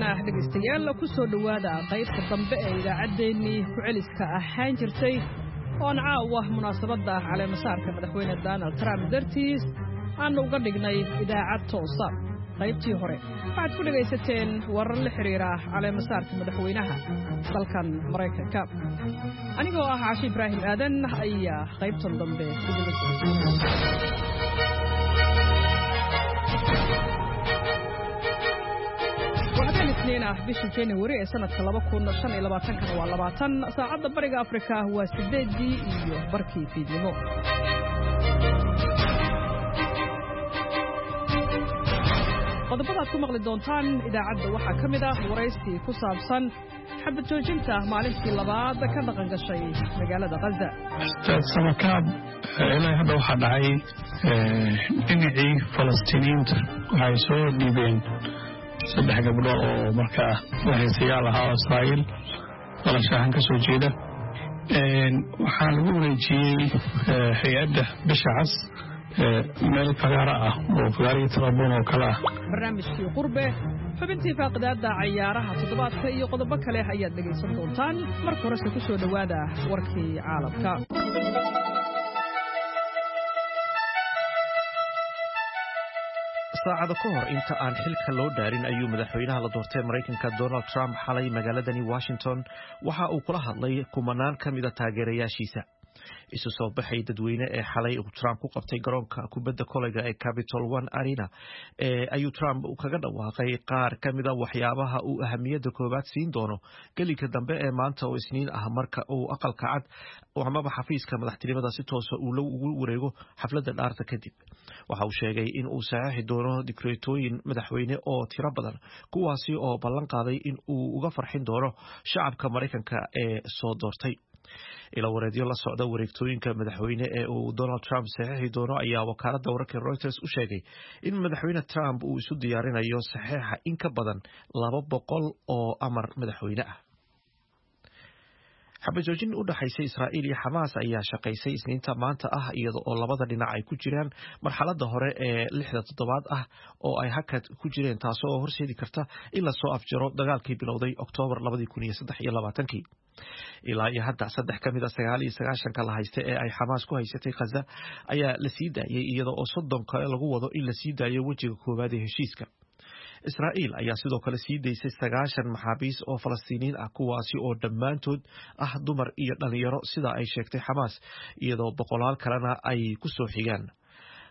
Haatanna dhegaystayaal, ku soo dhowaada qaybta dambe ee idaacaddeenii ku-celiska ahaan jirtay oon caawa munaasabadda caleemasaarka madaxweyne Donald Trump dartiis aanu uga dhignay idaacad toosa. Qaybtii hore waxaad ku dhegaysateen warar la xidhiira caleemasaarka madaxweynaha dalkan Maraykanka. Anigoo ah Caashi Ibraahim Aadan ayaa qaybtan dambe idinla socodsiinaya. Habeen Isniin ah, bisha January ee sanadka laba kun shan iyo labaatankana waa labaatan. Saacadda Bariga Afrika waa sideedii iyo barkii fiidnimo. Qodobada aad ku maqli doontaan idaacadda waxaa ka mid ah waraysi ku saabsan xabad joojinta maalintii labaad ka dhaqan gashay magaalada Khaza. Ustaad Samakaab, ilaa hadda waxaa dhacay dhinacii Falastiiniyiinta waxay soo dhiibeen saddex gabdho oo markaa lahaysayaal ahaa oo Israa'iil dhalashahaan ka soo jeeda. Waxaa lagu wareejiyey hay-adda Bisha Cas meel fagaara ah oo fagaarihii Tarabuun oo kale ah. Barnaamijkii Qurbe, xubintii faaqidaadda cayaaraha toddobaadka iyo qodobo kale ayaad dhegaysan doontaan. Marka horese ku soo dhowaada warkii caalamka. Saacado ka hor inta aan xilka loo dhaarin ayuu madaxweynaha la doortay Maraykanka Donald Trump xalay magaaladani Washington waxa uu kula hadlay kumanaan ka mida taageerayaashiisa. Isu soo baxay dadweyne ee xalay uu Trump ku qabtay garoonka kubadda kolayga ee Capital One Arena ee ayuu Trump kaga dhawaaqay qaar ka mida waxyaabaha uu ahamiyadda koowaad siin doono gelinka dambe ee maanta oo Isniin ah, marka uu Aqalka Cad amaba xafiiska madaxtinimada si toosa uu ugu wareego xafladda dhaarta kadib. Waxa uu sheegay in uu saxiixi doono dikreetooyin madaxweyne oo tiro badan, kuwaasi oo ballan qaaday in uu uga farxin doono shacabka Maraykanka ee soo doortay. Ilo wareedyo la socda wareegtooyinka madaxweyne ee uu Donald Trump saxiixi doono ayaa wakaaladda wararka Reuters u sheegay in madaxweyne Trump uu isu diyaarinayo saxiixa in ka badan laba boqol oo amar madaxweyne ah. Xabajoojin u dhaxaysa Israa'iil iyo Xamaas ayaa shaqaysay Isniinta maanta ah, iyada oo labada dhinac ay ku jiraan marxaladda hore ee lixda toddobaad ah oo ay hakad ku jireen, taasoo horseedi karta in lasoo afjaro dagaalkii bilowday Oktoobar labadii kun iyo saddex iyo labaatankii. Ilaa iyo hadda saddex ka mid a sagaal iyo sagaashanka la haysta ee ay Xamaas ku haysatay Khaza ayaa la sii daayay, iyada oo soddon kale lagu wado in la sii daayo wejiga koowaad ee heshiiska. Israa'iil ayaa sidoo kale sii daysay sagaashan maxaabiis oo Falastiiniyiin ah, kuwaasi oo dhammaantood ah dumar iyo dhalinyaro, sida ay sheegtay Xamaas, iyadoo boqolaal kalena ay ku soo xigaan.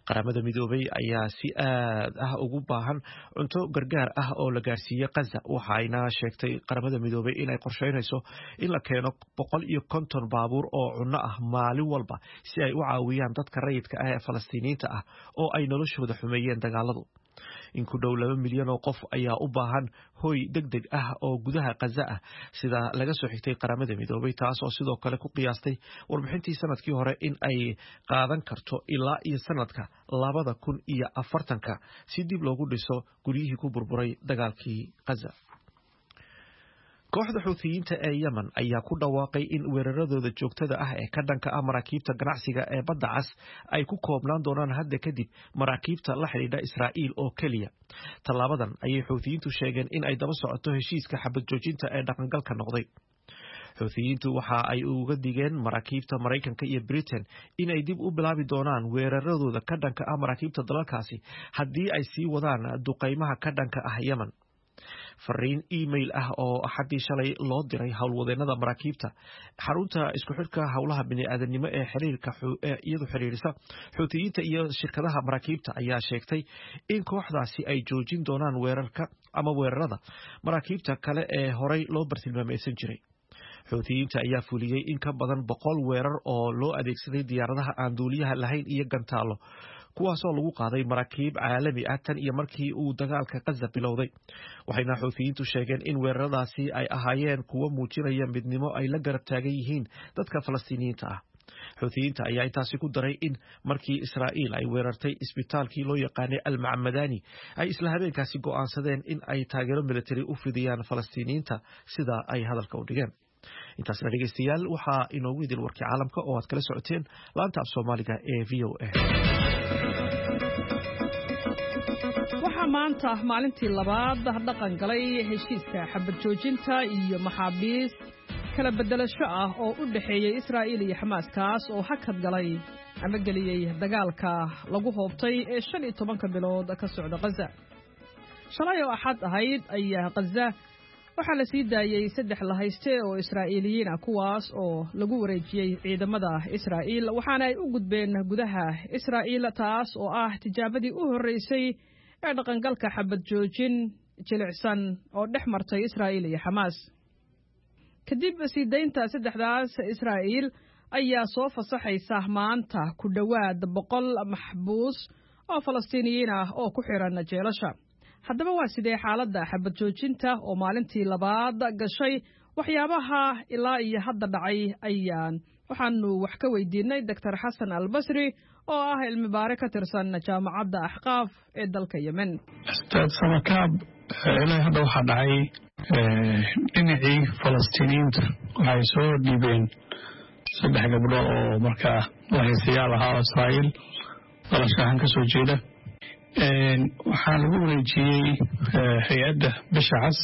Qaramada Midoobay ayaa si aad ah ugu baahan cunto gargaar ah oo la gaarsiiyey Khaza, waxayna sheegtay Qaramada Midoobay inay qorsheynayso in la keeno boqol iyo konton baabuur oo cunno ah maalin walba si ay u caawiyaan dadka rayidka ah ee Falastiiniyiinta ah oo ay noloshooda xumeeyeen dagaaladu. In ku dhow laba milyan oo qof ayaa u baahan hoy deg deg ah oo gudaha Khaza ah, sida laga soo xigtay Qaramada Midoobay, taas oo sidoo kale ku qiyaastay warbixintii sanadkii hore in ay qaadan karto ilaa iyo sanadka labada kun iyo afartanka si dib loogu dhiso guryihii ku burburay dagaalkii Khaza. Kooxda Xuuthiyiinta ee Yemen ayaa ku dhawaaqay in weeraradooda joogtada ah ee ka dhanka ah maraakiibta ganacsiga ee Badda Cas ay ku koobnaan doonaan hadda kadib maraakiibta la xidhiidha Israa'iil oo keliya. Tallaabadan ayay Xuuthiyiintu sheegeen in ay daba socoto heshiiska xabad joojinta ee dhaqangalka noqday. Xuuthiyiintu waxa ay uga digeen maraakiibta Maraykanka iyo Britain in ay dib u bilaabi doonaan weeraradooda ka dhanka ah maraakiibta dalalkaasi haddii ay sii wadaan duqaymaha ka dhanka ah Yemen. Fariin email ah oo Axaddii shalay loo diray howlwadeennada maraakiibta, xarunta isku xidhka howlaha bini'aadanimo ee xiriirka iyadu xiriirisa Xuutiyiinta iyo shirkadaha maraakiibta ayaa sheegtay in kooxdaasi ay joojin doonaan weerarka ama weerarada maraakiibta kale ee horey loo bartilmaameysan jiray. Xuutiyiinta ayaa fuliyey in ka badan boqol weerar oo loo adeegsaday diyaaradaha aan duuliyaha lahayn iyo gantaalo, kuwaasoo lagu qaaday maraakiib caalami ah tan iyo markii uu dagaalka Khaza bilowday. Waxayna Xuutiyiintu sheegeen in weeraradaasi ay ahaayeen kuwo muujinaya midnimo ay la garab taagan yihiin dadka Falastiiniyiinta ah. Xuutiyiinta ayaa intaasi ku daray in markii Israa'iil ay weerartay isbitaalkii loo yaqaanay Almacmadani ay isla habeenkaasi go'aansadeen in ay taageero militari u fidiyaan Falastiiniyiinta, sida ay hadalka u dhigeen. Intaasna dhegeystayaal waxaa inoogu idil warkii caalamka oo aad kala socoteen laanta af Soomaaliga ee V O A. Waxaa Waxaa maanta maalintii labaad dhaqan galay heshiiska xabad joojinta iyo maxaabiis kala beddelasho ah oo u dhexeeyey Israa'iil iyo Xamaas, kaas oo hakad galay ama geliyey dagaalka lagu hoobtay ee shan iyo tobanka bilood ka socda Gaza. Shalay oo Axad ahayd ayaa Gaza waxaa la sii daayey saddex la hayste oo Israa'iiliyiin ah, kuwaas oo lagu wareejiyey ciidamada Israa'iil, waxaana ay u gudbeen gudaha Israa'iil, taas oo ah tijaabadii u horreysay ee dhaqangalka xabad joojin jilicsan oo dhex martay Israa'iil iyo Xamaas. Kadib sii daynta saddexdaas, Israa'iil ayaa soo fasaxaysa maanta ku dhowaad boqol maxbuus oo Falastiiniyiin ah oo ku xiran jeelasha. Haddaba waa sidee xaaladda xabad joojinta oo maalintii labaad gashay? Waxyaabaha ilaa iyo hadda dhacay ayaan waxaanu wax ka weydiinay Doctor Xasan Albasri oo ah cilmi baare ka tirsan Jaamacadda Axqaaf ee dalka Yemen. Ustaad Samakaab, ilaa hadda waxaa dhacay dhinacii Falastiiniyiinta waxay soo dhiibeen saddex gabdho oo markaa lahaystayaal ahaa oo Israa'iil dhalasho ahaan ka soo jeeda. Waxaa lagu wareejiyey hay-adda Bisha Cas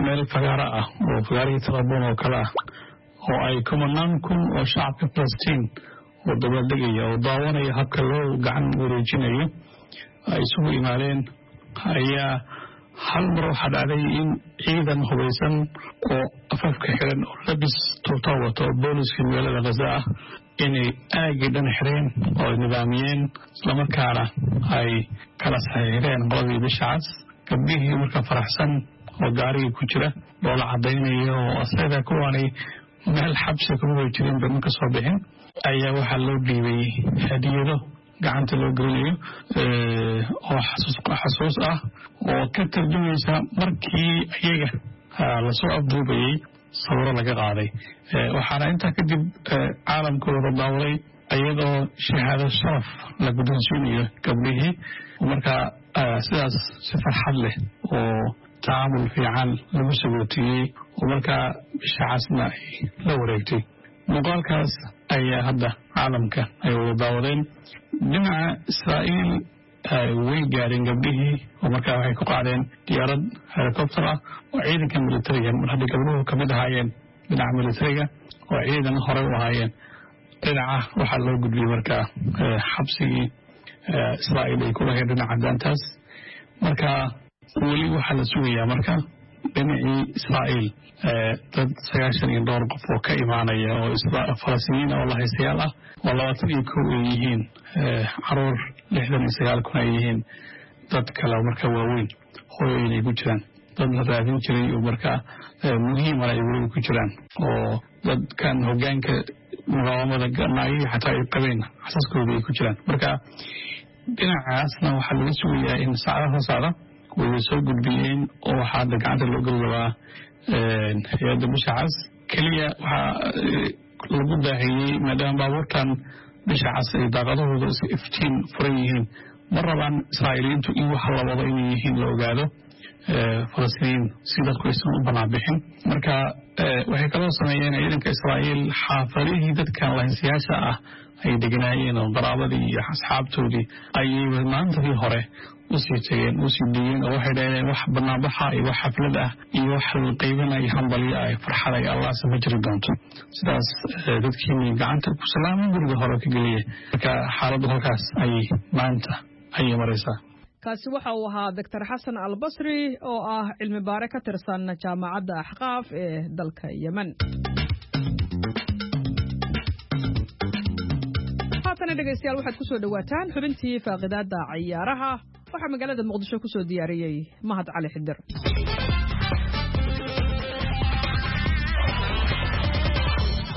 meel fagaara ah oo fagaarihii Talaboon oo kale ah, oo ay kumanaan kun oo shacabka Falastiin oo dabaaldegaya oo daawanaya habka loo gacan wareejinayo ay isugu imaadeen. Ayaa hal mar waxaa dhacday in ciidan hubaysan oo afafka xiran oo labis tuuta wato oo booliska magaalada Gaza ah inay aagii dhan xireen oo ay nidaamiyeen, islamarkaana ay kala saxiixdeen qoladii Bisha Cas. Gabdhihii marka faraxsan oo gaarigii ku jira loola cadaynaya oo asaga kuwaanay meel xabsi kuma way jirin ba ma ka soo bixin, ayaa waxaa loo dhiibay hadiyado gacanta loo gelinayo oo xasuus ah oo ka tarjumaysa markii iyaga lasoo afduubayey sawiro laga qaaday. Waxaana intaa kadib caalamka wada daawaday iyadoo shahaado sharaf la guddoonsiinayo gabdhihii. Markaa sidaas si farxad leh oo tacaamul fiican lagu sagootiyey oo markaa Bisha Casna ay la wareegtay, muuqaalkaas ayaa hadda caalamka ay wada daawadeen. Dhinaca Israa'iil way gaareen gabdhihii oo markaa waxay ku qaadeen diyaarad helicopter ah oo ciidanka militariga, mar hadday gabdhuhu kamid ahaayeen dhinaca militariga oo ciidan horey u ahaayeen. Dhinaca waxaa loo gudbiyey markaa xabsigii Israa'iil ay ku lahayd dhinaca daantaas. Marka weli waxaa la sugayaa marka dhinacii Israa'iil dad sagaashan iyo dhowr qof oo ka imaanaya oo Falastiiniyiin oo lahaystayaal ah, oo labaatan iyo kow ay yihiin caruur, lixdan iyo sagaal kun ay yihiin dad kale marka waaweyn, hooyooyin ay ku jiraan, dad la raadin jiray oo markaa muhiimana ay weliba ku jiraan, oo dadkan hoggaanka muqaawamada naagihii xataa ay qabeen xasaskooda ay ku jiraan. Marka dhinacaasna waxaa laga sugayaa in saacadaha soo socda way soo gudbiyeen oo waxaa hadda gacanta loo geli rabaa hay-adda Bisha Cas. Keliya waxaa lagu daahiyey maadaama baabuurtan Bisha Cas ay daaqadahooda iska iftiin furan yihiin, ma rabaan Israa'iiliyiintu in wax la wado inay yihiin la ogaado Falastiiniyiin si dadku aysan u banaan bixin. Marka waxay kaloo sameeyeen ciidanka Israa'iil xaafadihii dadkan lahaystayaasha ah ay deganaayeen oo qaraabadii iyo asxaabtoodii ayay maantadii hore usii tageen, usii dhiigeen, oo waxay dhahdeen wax banaanbaxa iyo wax xaflad ah iyo wax la qaybanayo hambalyo ah farxad ay Allahse ma jiri doonto. Sidaas dadkiini gacanta ku salaamay guriga hore ka geliya. Marka xaaladdu halkaas ayay maanta ayay maraysaa. Kaasi waxa uu ahaa Doctor Xasan Albasri oo ah cilmi baare ka tirsan Jaamacadda Axqaaf ee dalka Yemen. Haatana dhegaystayaal, waxaad ku soo dhowaataan xubintii faaqidaadda ciyaaraha. Waxaa magaalada Muqdisho ku soo diyaariyey Mahad Cali Xidir.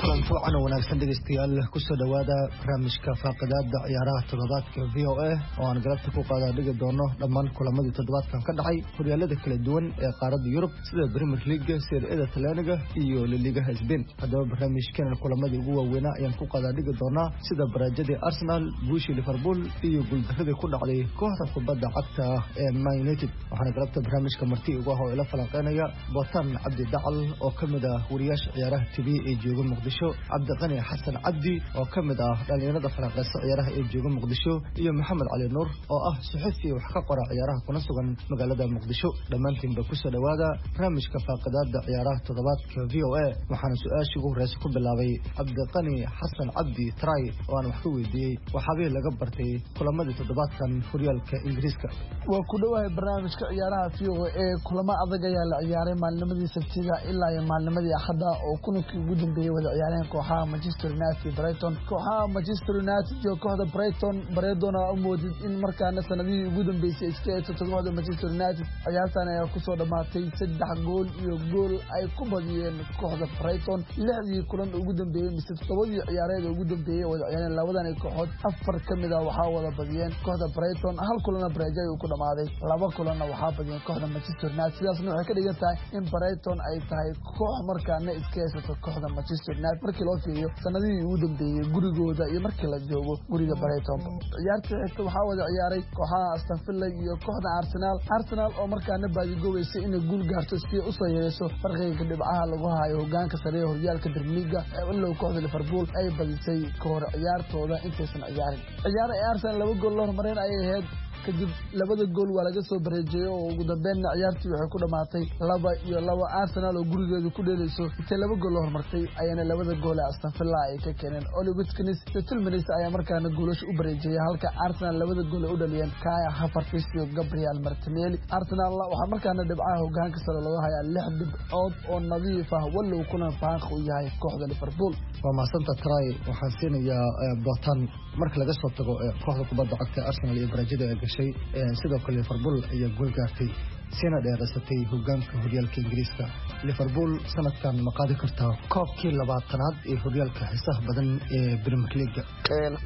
Kulan fiican oo wanaagsan dhegeystayaal, kusoo dhowaada barnaamijka faaqidaada ciyaaraha toddobaadka V O A oo aan galabta ku qaadaa dhigi doono dhammaan kulamadii toddobaadkan ka dhacay horyaalada kala duwan ee qaaradda Yurub sida Premier League, Serie A Talyaaniga iyo La Ligaha Spain. Haddaba barnaamijkan kulamadii ugu waaweynaa ayaan ku qaadaa dhigi doonaa, sida baraajadii Arsenal, guushii Liverpool iyo guuldaradii ku dhacday kooxda kubadda cagta ee Man United. Waxaana galabta barnaamijka marti ugu ah oo ila falanqeynaya Botan Cabdi Dacal oo ka mid ah wariyaasha ciyaaraha T V ee jooga Muqdisho, Cabdi Cabdiqani Xasan Cabdi oo ka mid ah dhalinyarada falanqeysa ciyaaraha ee jooga Muqdisho iyo Maxamed Cali Nuur oo ah suxufi wax ka qora ciyaaraha kuna sugan magaalada Muqdisho. Dhammaantiinba kusoo dhowaada barnaamijka faaqidaada ciyaaraha toddobaadka V O A. Waxaana su-aashii ugu horeysa ku bilaabay Cabdiqani Xasan Cabdi Tray oo aan wax ka weydiiyey waxaabihii laga bartay kulamadii toddobaadkan horyaalka Ingiriiska. Waa ku dhowahay barnaamijka ciyaaraha V O A. Kulamo adag ayaa la ciyaaray maalnimadii Sabtida ilaa iyo maalnimadii Axadda oo kulankii ugu dambeeyey wada ciyaareen kooxaha Manchester United iyo Brighton. Kooxaha Manchester United iyo kooxda Brighton Brighton aa u moodid in markaana sanadihii ugu dambeysay iska eegsato kooxda Manchester United. Ciyaartan ayaa kusoo dhammaatay saddex gool iyo gool ay ku badiyeen kooxda Brighton. Lixdii kulan ugu dambeeyey mise toddobadii ciyaareed ugu dambeeyey wada ciyaareen labadan kooxood, afar ka mid ah waxaa wada badiyeen kooxda Brighton, hal kulanna Brighton ayuu ku dhamaaday, laba kulanna waxaa badiyeen kooxda Manchester United. Sidaasna waxay ka dhigan tahay in Brighton ay tahay koox markaana iska haysato kooxda Manchester United markii loo fiiriyo sanadihii ugu dambeeyey gurigooda iyo markii la joogo guriga Brighton. Ciyaartii xigta waxaa wada ciyaaray kooxaha Aston Villa iyo kooxda Arsenal. Arsenal oo markaana baadigoobeysa inay guul gaarto si ay usoo yareyso farqiga dhibcaha lagu hayo hogaanka sare ee horyaalka Premier League, ilow kooxda Liverpool ay badisay ka hor ciyaartooda intaysan ciyaarin. Ciyaar ay Arsenal laba gool la hormareen ayay ahayd, kadib labada gool waa laga soo bareejiyey oo ugu dambeynna ciyaartii waxay ku dhamaatay laba iyo laba. Arsenal oo gurigeedu ku dheelayso intay laba gool la hormartay ayaana labada gool ee Aston Villa ay ka keeneen. Oli Watkins iyo Tielemans ayaa markaana goolasha u bareejiyey, halka Arsenal labada gool ay u dhaliyeen Kai Havertz iyo Gabriel Martinelli. Arsenal waxaa markaana dhibcaha hogaanka sare looga hayaa lix dhibcood oo nadiif ah, walow kulan faanq u yahay kooxda Liverpool. Waa mahadsantaha Tray. Waxaan siinayaa Botan. Marka laga soo tago kooxda kubadda cagta Arsenal iyo Brazil ee gashay, sidoo kale Liverpool ayaa gool gaartay sina dheeraysatay hogaanka horyaalka Ingiriiska. Liverpool sanadkan ma qaadi kartaa koobkii labaatanaad ee horyaalka xiisaha badan ee Premier League?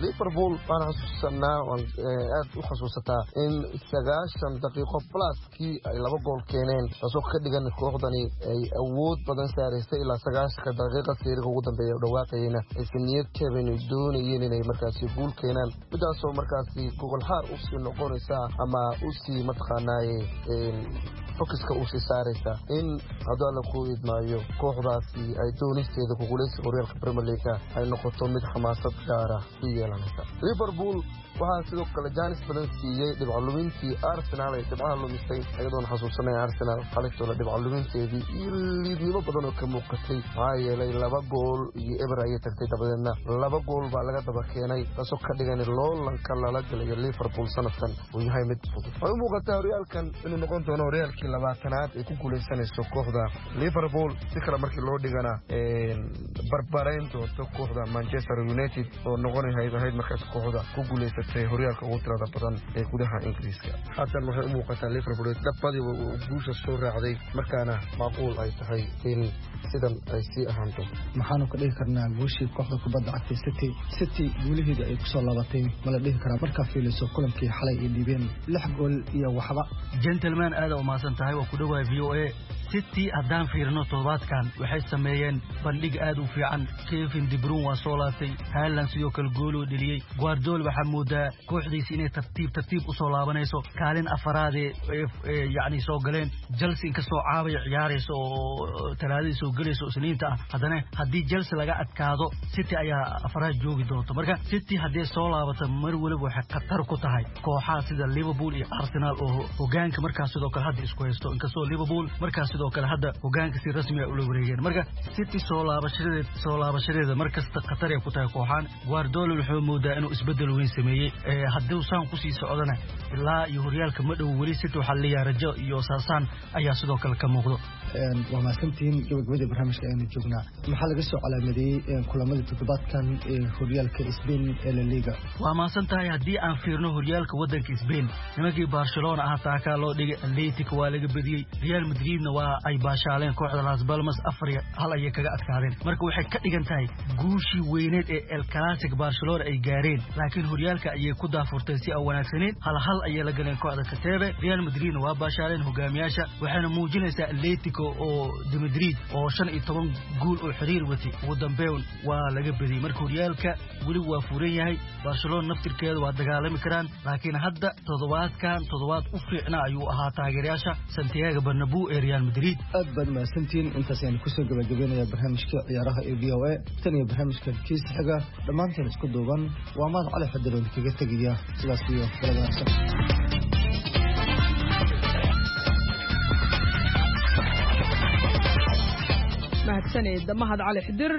Liverpool waan xasuusanaa, waan aad u xasuusataa in sagaashan daqiiqo pluskii ay laba gool keeneen, taasoo ka dhigan kooxdani ay awood badan saaraysay ilaa sagaashanka daqiiqa seeriga ugu dambeeya u dhawaaqayena aysan niyad jabin, doonayeen inay markaasi guul keenaan, midaasoo markaasi gogolxaar usii noqonaysa ama usii mataqaanaaye fokiska usii saaraysa in hadduu alla ku idmaayo kooxdaasi ay doonisteeda kuguuleysiga horyaalka Premier League ay noqoto mid xamaasad gaara u yeelanaysa. Liverpool waxaa sidoo kale jaanis badan siiyey dhibco lumintii Arsenal ay dhibcaha lumisay, iyadoona xasuusanaya Arsenal xalitooda dhibco luminteedii iyo liidnimo badan oo ka muuqatay, maxaa yeelay laba gool iyo eber ayay tagtay, dabadeedna laba gool baa laga daba keenay, taasoo ka dhigan loolanka lala galayo Liverpool sanadkan uu yahay mid fudud. Waxay u muuqataa horyaalkan inuu noqon doono horyaalkii labaatanaad ay ku guuleysanayso kooxda Liverpool, si kale markii loo dhigana barbarayn doonto kooxda Manchester United oo noqonahayd ahayd markaas kooxda ku guuleysatay horyaalka ugu tirada badan ee gudaha Ingiriiska. Haatan waxay u muuqataa Liverpool dhabadii guusha soo raacday, markaana macquul ay tahay in sidan ay sii ahaan doonto. Maxaanu ka dhihi karnaa guushii kooxda kubadda cagta City? City guulaheeda ay kusoo laabatay ma la dhihi karaa markaa fiiliso kulankii xalay ay dhiibeen lix gool iyo waxba? Gentleman, aad u mahadsan tahay, waa ku dhowahay V O A. City haddaan fiirino toddobaadkan waxay sameeyeen bandhig aad u fiican. Kevin De Bruyne waa soo laabtay, Haaland sidoo kale gooluu dheliyey. Guardiola waxaa moodaa kooxdiisa inay tartiib tartiib u soo laabanayso, kaalin afaraadee yacni soo galeen. Chelsea inkastoo caabay ciyaarayso oo talaadadii soo gelayso Isniinta ah, haddana haddii Chelsea laga adkaado City ayaa afaraad joogi doonto. Marka City haddii soo laabato mar waliba waxay khatar ku tahay kooxaha sida Liverpool iyo Arsenal oo hogaanka markaas sidoo kale hadda isku haysto, inkastoo Liverpool markaas sidoo kale hadda hogaanka si rasmi ah ula wareegeen. Marka City soo laabashadeeda soo laabashadeeda markasta khatar ay ku tahay kooxaan. Guardiola wuxuu moodaa inuu isbedel weyn sameeyey, haddii saan kusii socdana ilaa iyo horyaalka ma dhow weli City waxaa leeyahay rajo iyo saasaan ayaa sidoo kale ka muuqdo. Waa mahadsantihiin. Gabagabadii barnaamijka aynu joognaa, maxaa laga soo calaamadeeyey kulamadii toddobaadkan ee horyaalka Spain ee La Liga? Waa mahadsan tahay. Haddii aan fiirno horyaalka waddanka Spain, nimankii Barcelona ah taakaa loo dhigay, Atletico waa laga badiyey, Real Madridna waa ay baashaaleen kooxda Las Palmas afar iyo hal ayay kaga adkaadeen. Marka waxay ka dhigan tahay guushii weyneed ee El Clasico Barcelona ay gaareen, laakiin horyaalka ayay ku daafurteen si aan wanaagsaneyn, hal hal ayay la galeen kooxda Katebe. Real Madridna waa baashaaleen hogaamiyaasha, waxayna muujinaysaa Atletico oo de Madrid oo shan iyo toban guul oo xiriir watay ugu dambeyn waa laga badiyey. Marka horyaalka weli waa furan yahay, Barcelona naftirkeeda waa dagaalami karaan, laakiin hadda toddobaadkan toddobaad u fiicna ayuu ahaa taageerayaasha Santiago Bernabeu ee Real Madrid. Madrid. Aad baad mahadsantihiin, intaas ayaan kusoo gabagabeynaya barnaamijka ciyaaraha ee V O A. Tan iyo barnaamijka kiisa xiga, dhammaanteen isku duuban waa Mahad Cali Xadiroon kaga tegaya sidaas iyo galab wanaagsan. Mahadsanid Mahad Cali Xidir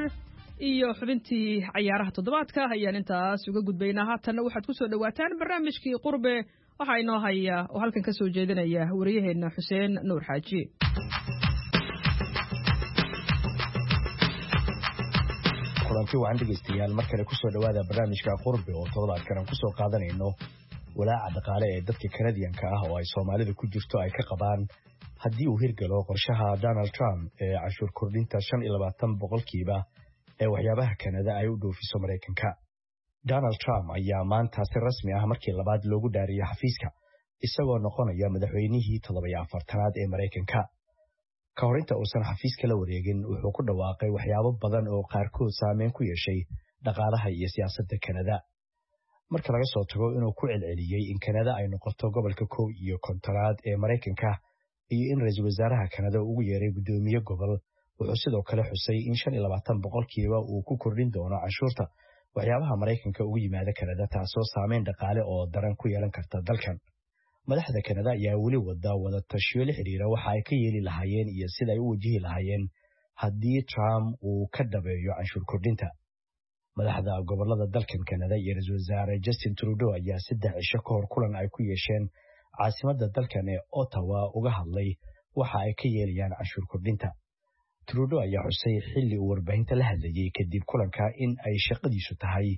iyo xubintii cayaaraha toddobaadka ayaan intaas uga gudbaynaa. Haatanna waxaad ku soo dhowaataan barnaamijkii Qurbe. Waxaa inoo haya oo halkan ka soo jeedinaya wariyaheenna Xuseen Nuur Xaaji. Kulanti wacan dhegeystayaal, mar kale kusoo dhowaada barnaamijka Qurbe oo toddobaadkan aan kusoo qaadanayno walaaca dhaqaale ee dadka Kanadiyanka ah oo ay Soomaalida ku jirto ay ka qabaan haddii uu hirgalo qorshaha Donald Trump ee canshuur kordhinta shan iyo labaatan boqolkiiba ee waxyaabaha Kanada ay u dhoofiso Maraykanka. Donald Trump ayaa maanta si rasmi ah markii labaad loogu dhaariyay xafiiska, isagoo noqonaya madaxweynihii toddoba-iyo afartanaad ee Maraykanka. Ka hor inta uusan xafiiska la wareegin, wuxuu ku dhawaaqay waxyaabo badan oo qaarkood saameyn ku yeeshay dhaqaalaha iyo siyaasadda Kanada. Marka laga soo tago inuu ku celceliyey in Kanada ay noqoto gobolka kow iyo kontonaad ee Maraykanka iyo in ra-iisul wasaaraha Kanada ugu yeeray guddoomiye gobol, wuxuu sidoo kale xusay in shan iyo labaatan boqolkiiba uu ku kordhin doono canshuurta waxyaabaha Maraykanka ugu yimaada Kanada, taasoo saameyn dhaqaale oo daran ku yeelan karta dalkan. Madaxda Kanada ayaa weli wada wada tashiyo la xiriira waxa ay ka yeeli lahaayeen iyo sida ay u wajihi lahaayeen haddii Trump uu ka dhabeeyo canshuur kordhinta. Madaxda gobolada dalkan Kanada iyo ra-iisul wasaare Justin Trudeau ayaa saddex cisho ka hor kulan ay ku yeesheen caasimadda dalkan ee Ottawa uga hadlay waxa ay ka yeelayaan canshuur kordhinta. Trudeau ayaa xusay xilli uu warbaahinta la hadlayay kadib kulanka in ay shaqadiisu tahay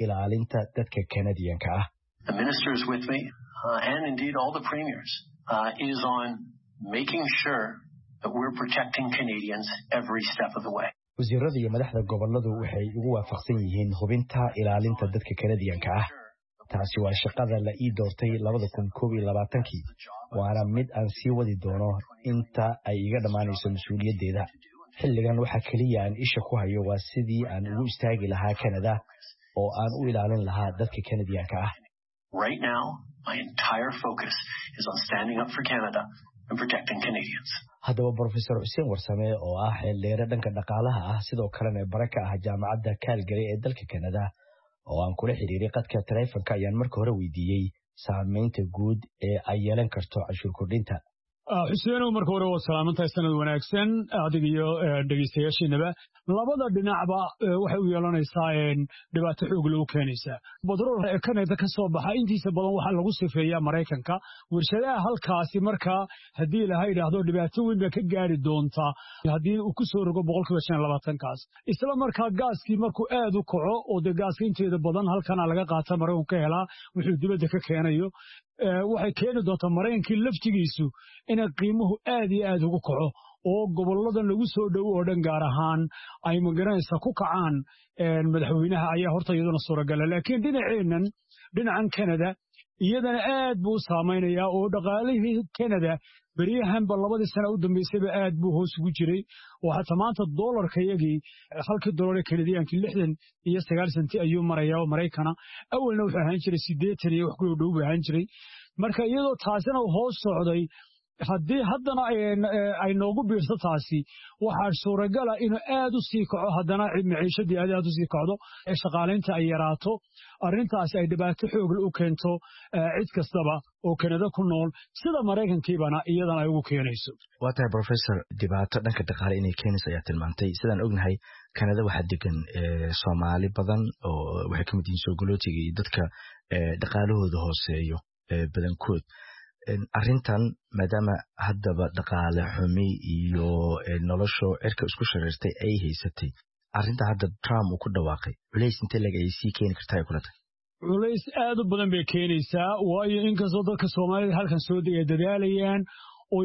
ilaalinta dadka Kanadiyanka ah. The ministers with me, uh, and indeed all the premiers, uh, is on making sure that we're protecting Canadians every step of the way. Wasiirada iyo madaxda goboladu waxay ugu waafaqsan yihiin hubinta ilaalinta dadka Kanadiyanka ah. Taasi waa shaqada la ii doortay labada kun koob iyo labaatankii, waana mid aan sii wadi doono inta ay iga dhammaanayso mas-uuliyaddeeda. Xilligan waxa keliya aan isha ku hayo waa sidii aan ugu istaagi lahaa Kanada oo aan u ilaalin lahaa dadka Kanadiyanka ah. Right now, my entire focus is on standing up for Canada and protecting Canadians. Haddaba Professor Xuseen Warsame oo ah xeeldheere dhanka dhaqaalaha ah, sidoo kalena bare ka ah jaamacadda Calgary ee dalka Kanada, oo aan kula xiriiray qadka taleefanka, ayaan marka hore weydiiyey saameynta guud ee ay yeelan karto canshuur kordhinta. Xuseenow, marka hore waad salaamantahay, sanad wanaagsan adiga iyo dhegeystayaashiinaba. Labada dhinacba waxay u yeelanaysaa dhibaato xoog loo keenaysaa. Batrool Kanada ka soo baxa intiisa badan waxaa lagu sifeeyaa Maraykanka, warshadaha halkaasi. Markaa haddii ilaha idhaahdo, dhibaato weyn baa ka gaari doontaa haddii uu ku soo rogo boqolkiiba shan iyo labaatankaas. Isla markaa gaaskii markuu aad u kaco, oo dee gaaska inteeda badan halkana laga qaata, Maraykanku ka helaa wuxuu dibadda ka keenayo, waxay keeni doontaa Maraykankii laftigiisu inay qiimuhu aad iyo aad ugu kaco, oo goboladan lagu soo dhowo oo dhan gaar ahaan ay magaranaysa ku kacaan madaxweynaha ayaa horta iyaduna suuragala. Laakiin dhinaceennan, dhinacan Canada, iyadana aad buu u saamaynayaa, oo dhaqaalihii Canada beryahanba labadii sana u dambeysayba aad buu hoos ugu jiray, oo xataa maanta doolarka iyagii, halkii doolar ee Kanadiyankii lixdan iyo sagaal senti ayuu marayaa oo Maraykana. Awalna wuxuu ahaan jiray siddeetan iyo wax ku dhow buu ahaan jiray. Marka iyadoo taasina uu hoos socday, haddii haddana ay noogu biirto taasi, waxaa suuragala inuu aad u sii kaco haddana, maciishadii aad aad u sii kacdo, shaqaalaynta ay yaraato, arrintaasi ay dhibaato xoogle u keento cid kastaba oo Kanada ku nool, sida Maraykankiibana iyadana ay ugu keenayso. Waa tahay professor, dhibaato dhanka dhaqaale inay keenayso ayaa tilmaantay. Sidaan ognahay, Kanada waxaa degan Soomaali badan oo waxay ka mid yihiin soogolootiga iyo dadka dhaqaalahooda hooseeyo badankood. Arrintan maadaama haddaba dhaqaale xumi iyo nolosho cirka isku shareertay ay haysatay, arrinta hadda Trump uu ku dhawaaqay culays intee lag ay sii keeni kartaa ay kula tahay? Culays aad u badan bay keenaysaa, waayo inkastoo dadka Soomaalida halkan soo degay dadaalayaan oo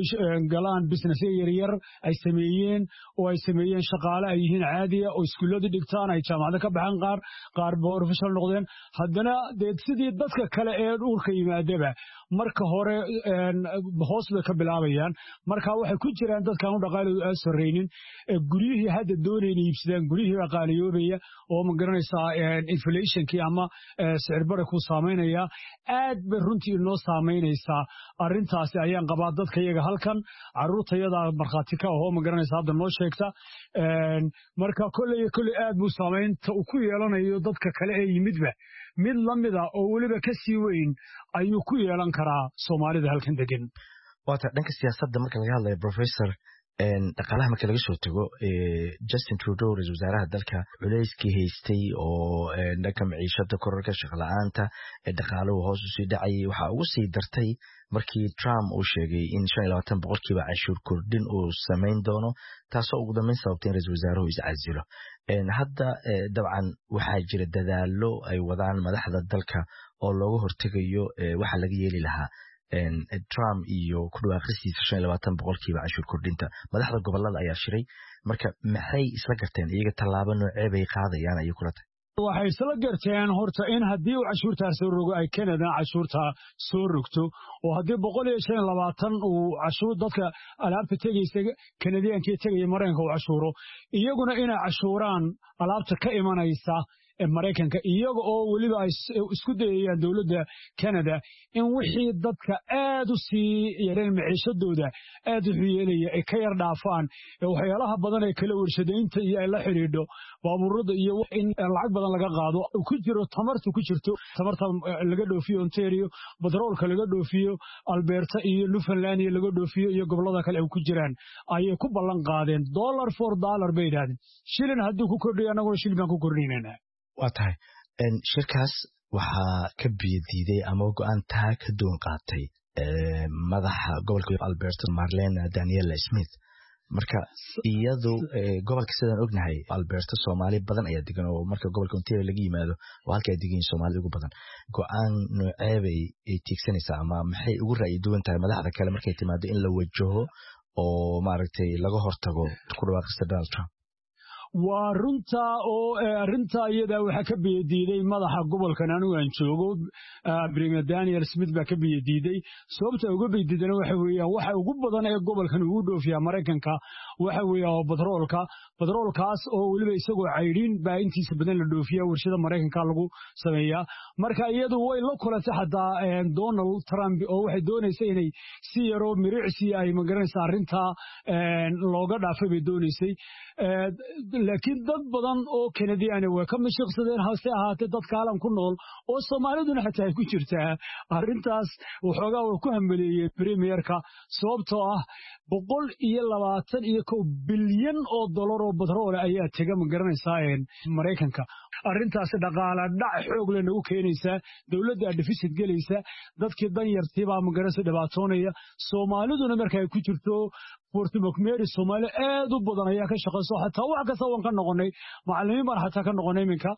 galaan businessya yaryar ay sameeyeen, oo ay sameeyeen shaqaale ay yihiin caadiya, oo iskuullada dhigtaan, ay jaamacado ka baxaan, qaar qaar professional noqdeen, haddana dee sidii dadka kale ee dhulka yimaadaba marka hore hoos bay ka bilaabayaan. Marka waxay ku jiraan dadkaan u dhaqaaloodu aad sarreynin, guryihii hadda doonayna iibsadaan, guryihii baa qaaliyoobaya, oo ma garanaysaa inflationkii ama sicir bara ku saamaynaya. Aad bay runtii inoo saamaynaysaa arrintaasi ayaan qabaa dadka iyaga. iyaga halkan, carruurtayadaa markhaati ka ahoo, ma garanaysa, hadda noo sheegta. Marka kolley iyo kolley aad buu saamaynta uu ku yeelanayo dadka kale ee yimidba mid la mida oo weliba ka sii weyn ayuu ku yeelan karaa Soomaalida halkan degan. Waata dhanka siyaasadda marka laga hadlayo, professor, dhaqaalaha marka laga soo tago, Justin Trudeau, ra-isul wasaaraha dalka, culeyskii haystay oo dhanka maciishada, kororka shaqla-aanta, dhaqaaluhu hoos usii dhacayay, waxaa ugu sii dartay markii Trump uu sheegay in shan iyo labaatan boqolkiiba canshuur kordhin uu samayn doono, taasoo ugu dambeyn sababtay in ra-isul wasaaruhu iscasilo. Hadda dabcan waxaa jira dadaalo ay wadaan madaxda dalka oo looga hortegayo waxa laga yeeli lahaa Trump iyo ku dhawaaqisiisa shan iyo labaatan boqolkiiba canshuur kordhinta. Madaxda gobolada ayaa shiray, marka maxay isla garteen iyaga? Tallaabo noocee bay qaadayaan ayay kula tahay? Waxay isla garteen horta in haddii uu cashuurtaa soo rogo ay Canada cashuurtaa soo rogto, oo haddii boqol iyo shan iyo labaatan uu cashuur dadka alaabta tegaysa Kanadiyankii tegaya Maraykanka uu cashuuro, iyaguna inay cashuuraan alaabta ka imanaysa Maraykanka, iyaga oo weliba ay isku dayayaan dowladda Canada in wixii dadka aad u sii yareen maciishadooda aad u yeelaya ay ka yar dhaafaan waxyaalaha badan ee kala warshadaynta iyo ay la xidhiidho baabuurada iyo in lacag badan laga qaado ku jiro tamarta ku jirto, tamarta laga dhoofiyo Ontario, batroolka laga dhoofiyo Alberta iyo Newfoundland iyo laga dhoofiyo iyo gobolada kale ay ku jiraan ayay ku ballan qaadeen. Dollar for dollar bay yidhahdeen, shilin hadduu ku kordhiyo annaguna shilin baan ku kordhinaynaa. Waa tahay, shirkaas waxaa ka biyadiiday ama go-aan taa ka duwan qaatay madaxa gobolka Alberta, Marlena Daniela Smith. Marka iyadu gobolka, sidaan ognahay, Alberta Soomaali badan ayaa degan, oo marka gobolka Ontario laga yimaado oo halka ay degan yihiin Soomaalida ugu badan. Go-aan noocee bay ay tiigsanaysaa ama maxay ugu ra'yi duwan tahay madaxda kale markay timaado in la wajaho oo maaragtay laga hortago ku dhawaaqista Donald Trump? Waa runta oo arrinta iyada waxaa ka biyadiiday madaxa gobolkan anigu aan joogo, Premier Daniel Smith baa ka biyadiiday. Sababta uga biyadiidana waxa weeyaan waxa ugu badan ee gobolkan ugu dhoofiyaa Maraykanka waxa weeyaa waa batroolka, batroolkaas oo weliba isagoo caydhiin baa intiisa badan la dhoofiyaa, warshada Maraykanka lagu sameeyaa. Marka iyadu way la kulantay xataa Donald Trump oo waxay doonaysay inay si yaroo miricsi ay magaranaysa arrintaa looga dhaafay bay doonaysay, laakiin dad badan oo Kanadiyaani way ka mashiqsadeen. Hase ahaatee dadka halan ku nool oo Soomaaliduna xataa ay ku jirtaa arrintaas waxoogaa way ku hambeleeyeen premierka, sababtoo ah boqol iyo labaatan iyo kow bilyan oo dollar oo batroole ayaa tega, ma garanaysaa, Maraykanka. Arrintaasi dhaqaala dhac xoog leh nagu keenaysaa, dowladda deficit gelaysa, dadkii danyartii baa, ma garanaysa, dhibaatoonaya, Soomaaliduna marka ay ku jirto. Fort McMurray Soomaali aad u badan ayaa ka shaqayso, xataa wax kasta waan ka noqonay, macallimiin baan xataa ka noqonay iminka.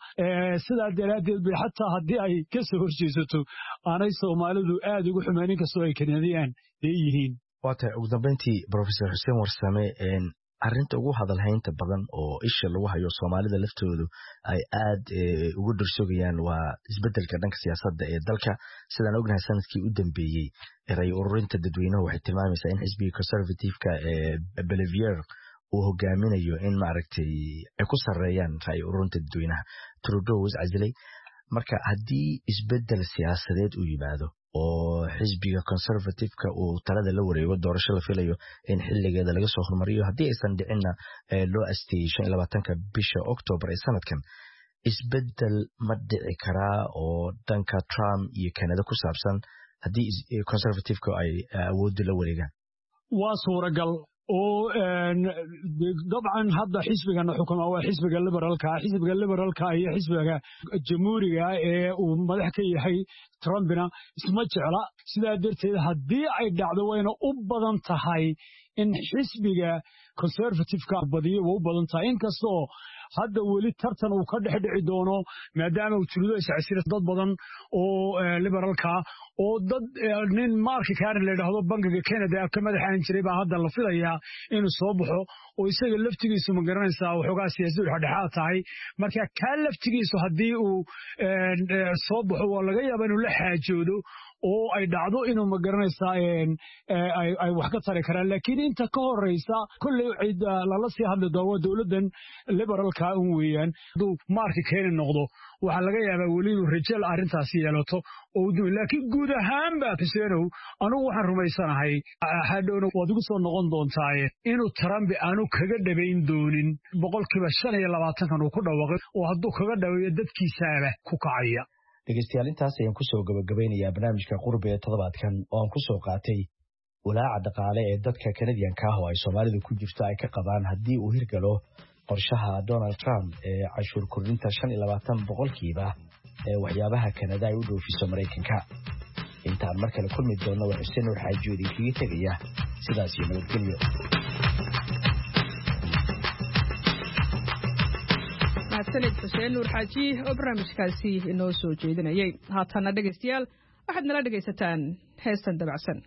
Sidaa daraaddeed bay xataa haddii ay ka soo horjeesato aanay Soomaalidu aad ugu xumeyn, inkastoo ay Kanadiyaan leeyihiin. Waa tahay, ugu dambeyntii, Professor Xuseen Warsame, arrinta ugu hadalhaynta badan oo isha lagu hayo, Soomaalida laftoodu ay aad ugu dhursogayaan, waa isbeddelka dhanka siyaasadda ee dalka. Sidaan ognahay, sanadkii u dambeeyey ray ururinta dadweynuhu waxay tilmaamaysaa in xisbiga Conservative-ka ee Poilievre uu hogaaminayo, in maaragtay ay ku sarreeyaan ra'yi ururinta dadweynaha. Trudeau was casilay. Marka haddii isbeddel siyaasadeed uu yimaado oo xisbiga Conservative-ka uu talada la wareego, doorasho la filayo in xiligeeda laga soo hormariyo, haddii aysan dhicinna loo asteeyey shan iyo labaatanka bisha October ee sanadkan, isbeddel ma dhici karaa oo dhanka Trump iyo Canada ku saabsan haddii Conservative-ka ay awoodda la wareegaan? Waa suuragal oo dabcan hadda xisbigana xukuma waa xisbiga Liberalka. Xisbiga Liberalka iyo xisbiga Jamhuuriga ee uu madax ka yahay Trumpina isma jecla. Sidaa darteed haddii ay dhacdo, wayna u badan tahay in xisbiga Conservative-ka badiyo, waa u badan tahay, inkastoo hadda weli tartan uu ka dhex dhici doono maadaama uu Trudeau iscasila, dad badan oo Liberalka oo dad nin Mark Carney la yidhaahdo, bangiga Canada ka madaxaan jiray, baa hadda la filayaa inuu soo baxo oo isaga laftigiisu, ma garanaysaa, waxoogaa siyaasadu dhexdhexaad tahay. Marka kaa laftigiisu haddii uu soo baxo waa laga yaabaa inuu la xaajoodo. oo ay dhacdo inuu ma garanaysaa ay wax ka tari karaan. Laakiin inta ka horeysa kolley cid lala sii hadli doono waa dowladdan liberalka un weeyaan. Hadduu Mark Carney noqdo, waxaa laga yaabaa weli inuu rajal arrintaasi yeelato oo u, laakiin guud ahaanba, Xuseenow, anugu waxaan rumaysanahay, hadhowna waad igu soo noqon doontaaye, inuu Trump aanu kaga dhabayn doonin boqolkiiba shan iyo labaatankan uu ku dhawaaqay, oo hadduu kaga dhaweeyo dadkiisaaba ku kacaya. Dhegeystayaal, intaas ayaan kusoo gabagabeynayaa barnaamijka Qurbi ee toddobaadkan oo aan kusoo qaatay walaaca dhaqaale ee dadka Kanadiyanka ah oo ay Soomaalidu ku jirto ay ka qabaan haddii uu hirgalo qorshaha Donald Trump ee cashuur kordhinta shan iyo labaatan boqolkiiba ee waxyaabaha Kanada ay u dhoofiso Maraykanka. Intaan mar kale kulmi doonno, waa Xuseen Nuur Xaaji oo idinkaga tegaya sidaas iyo nabadgelyo. Mahadsanid Xuseen Nuur Xaaji oo barnaamijkaasi inoo soo jeedinayay. Haatanna dhegaystayaal, waxaad nala dhegaysataan heestan dabacsan.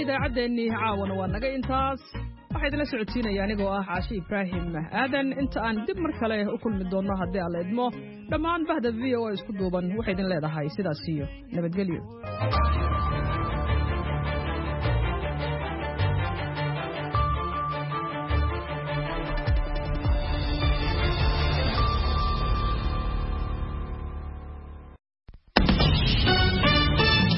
Idaacaddeenii caawana waa naga intaas. Waxaa idinla socodsiinaya anigoo ah Caashi Ibraahim Aadan. Inta aan dib mar kale u kulmi doonno haddii aan la idmo, dhammaan bahda V O A isku duuban waxay idin leedahay sidaas iyo nabadgelyo.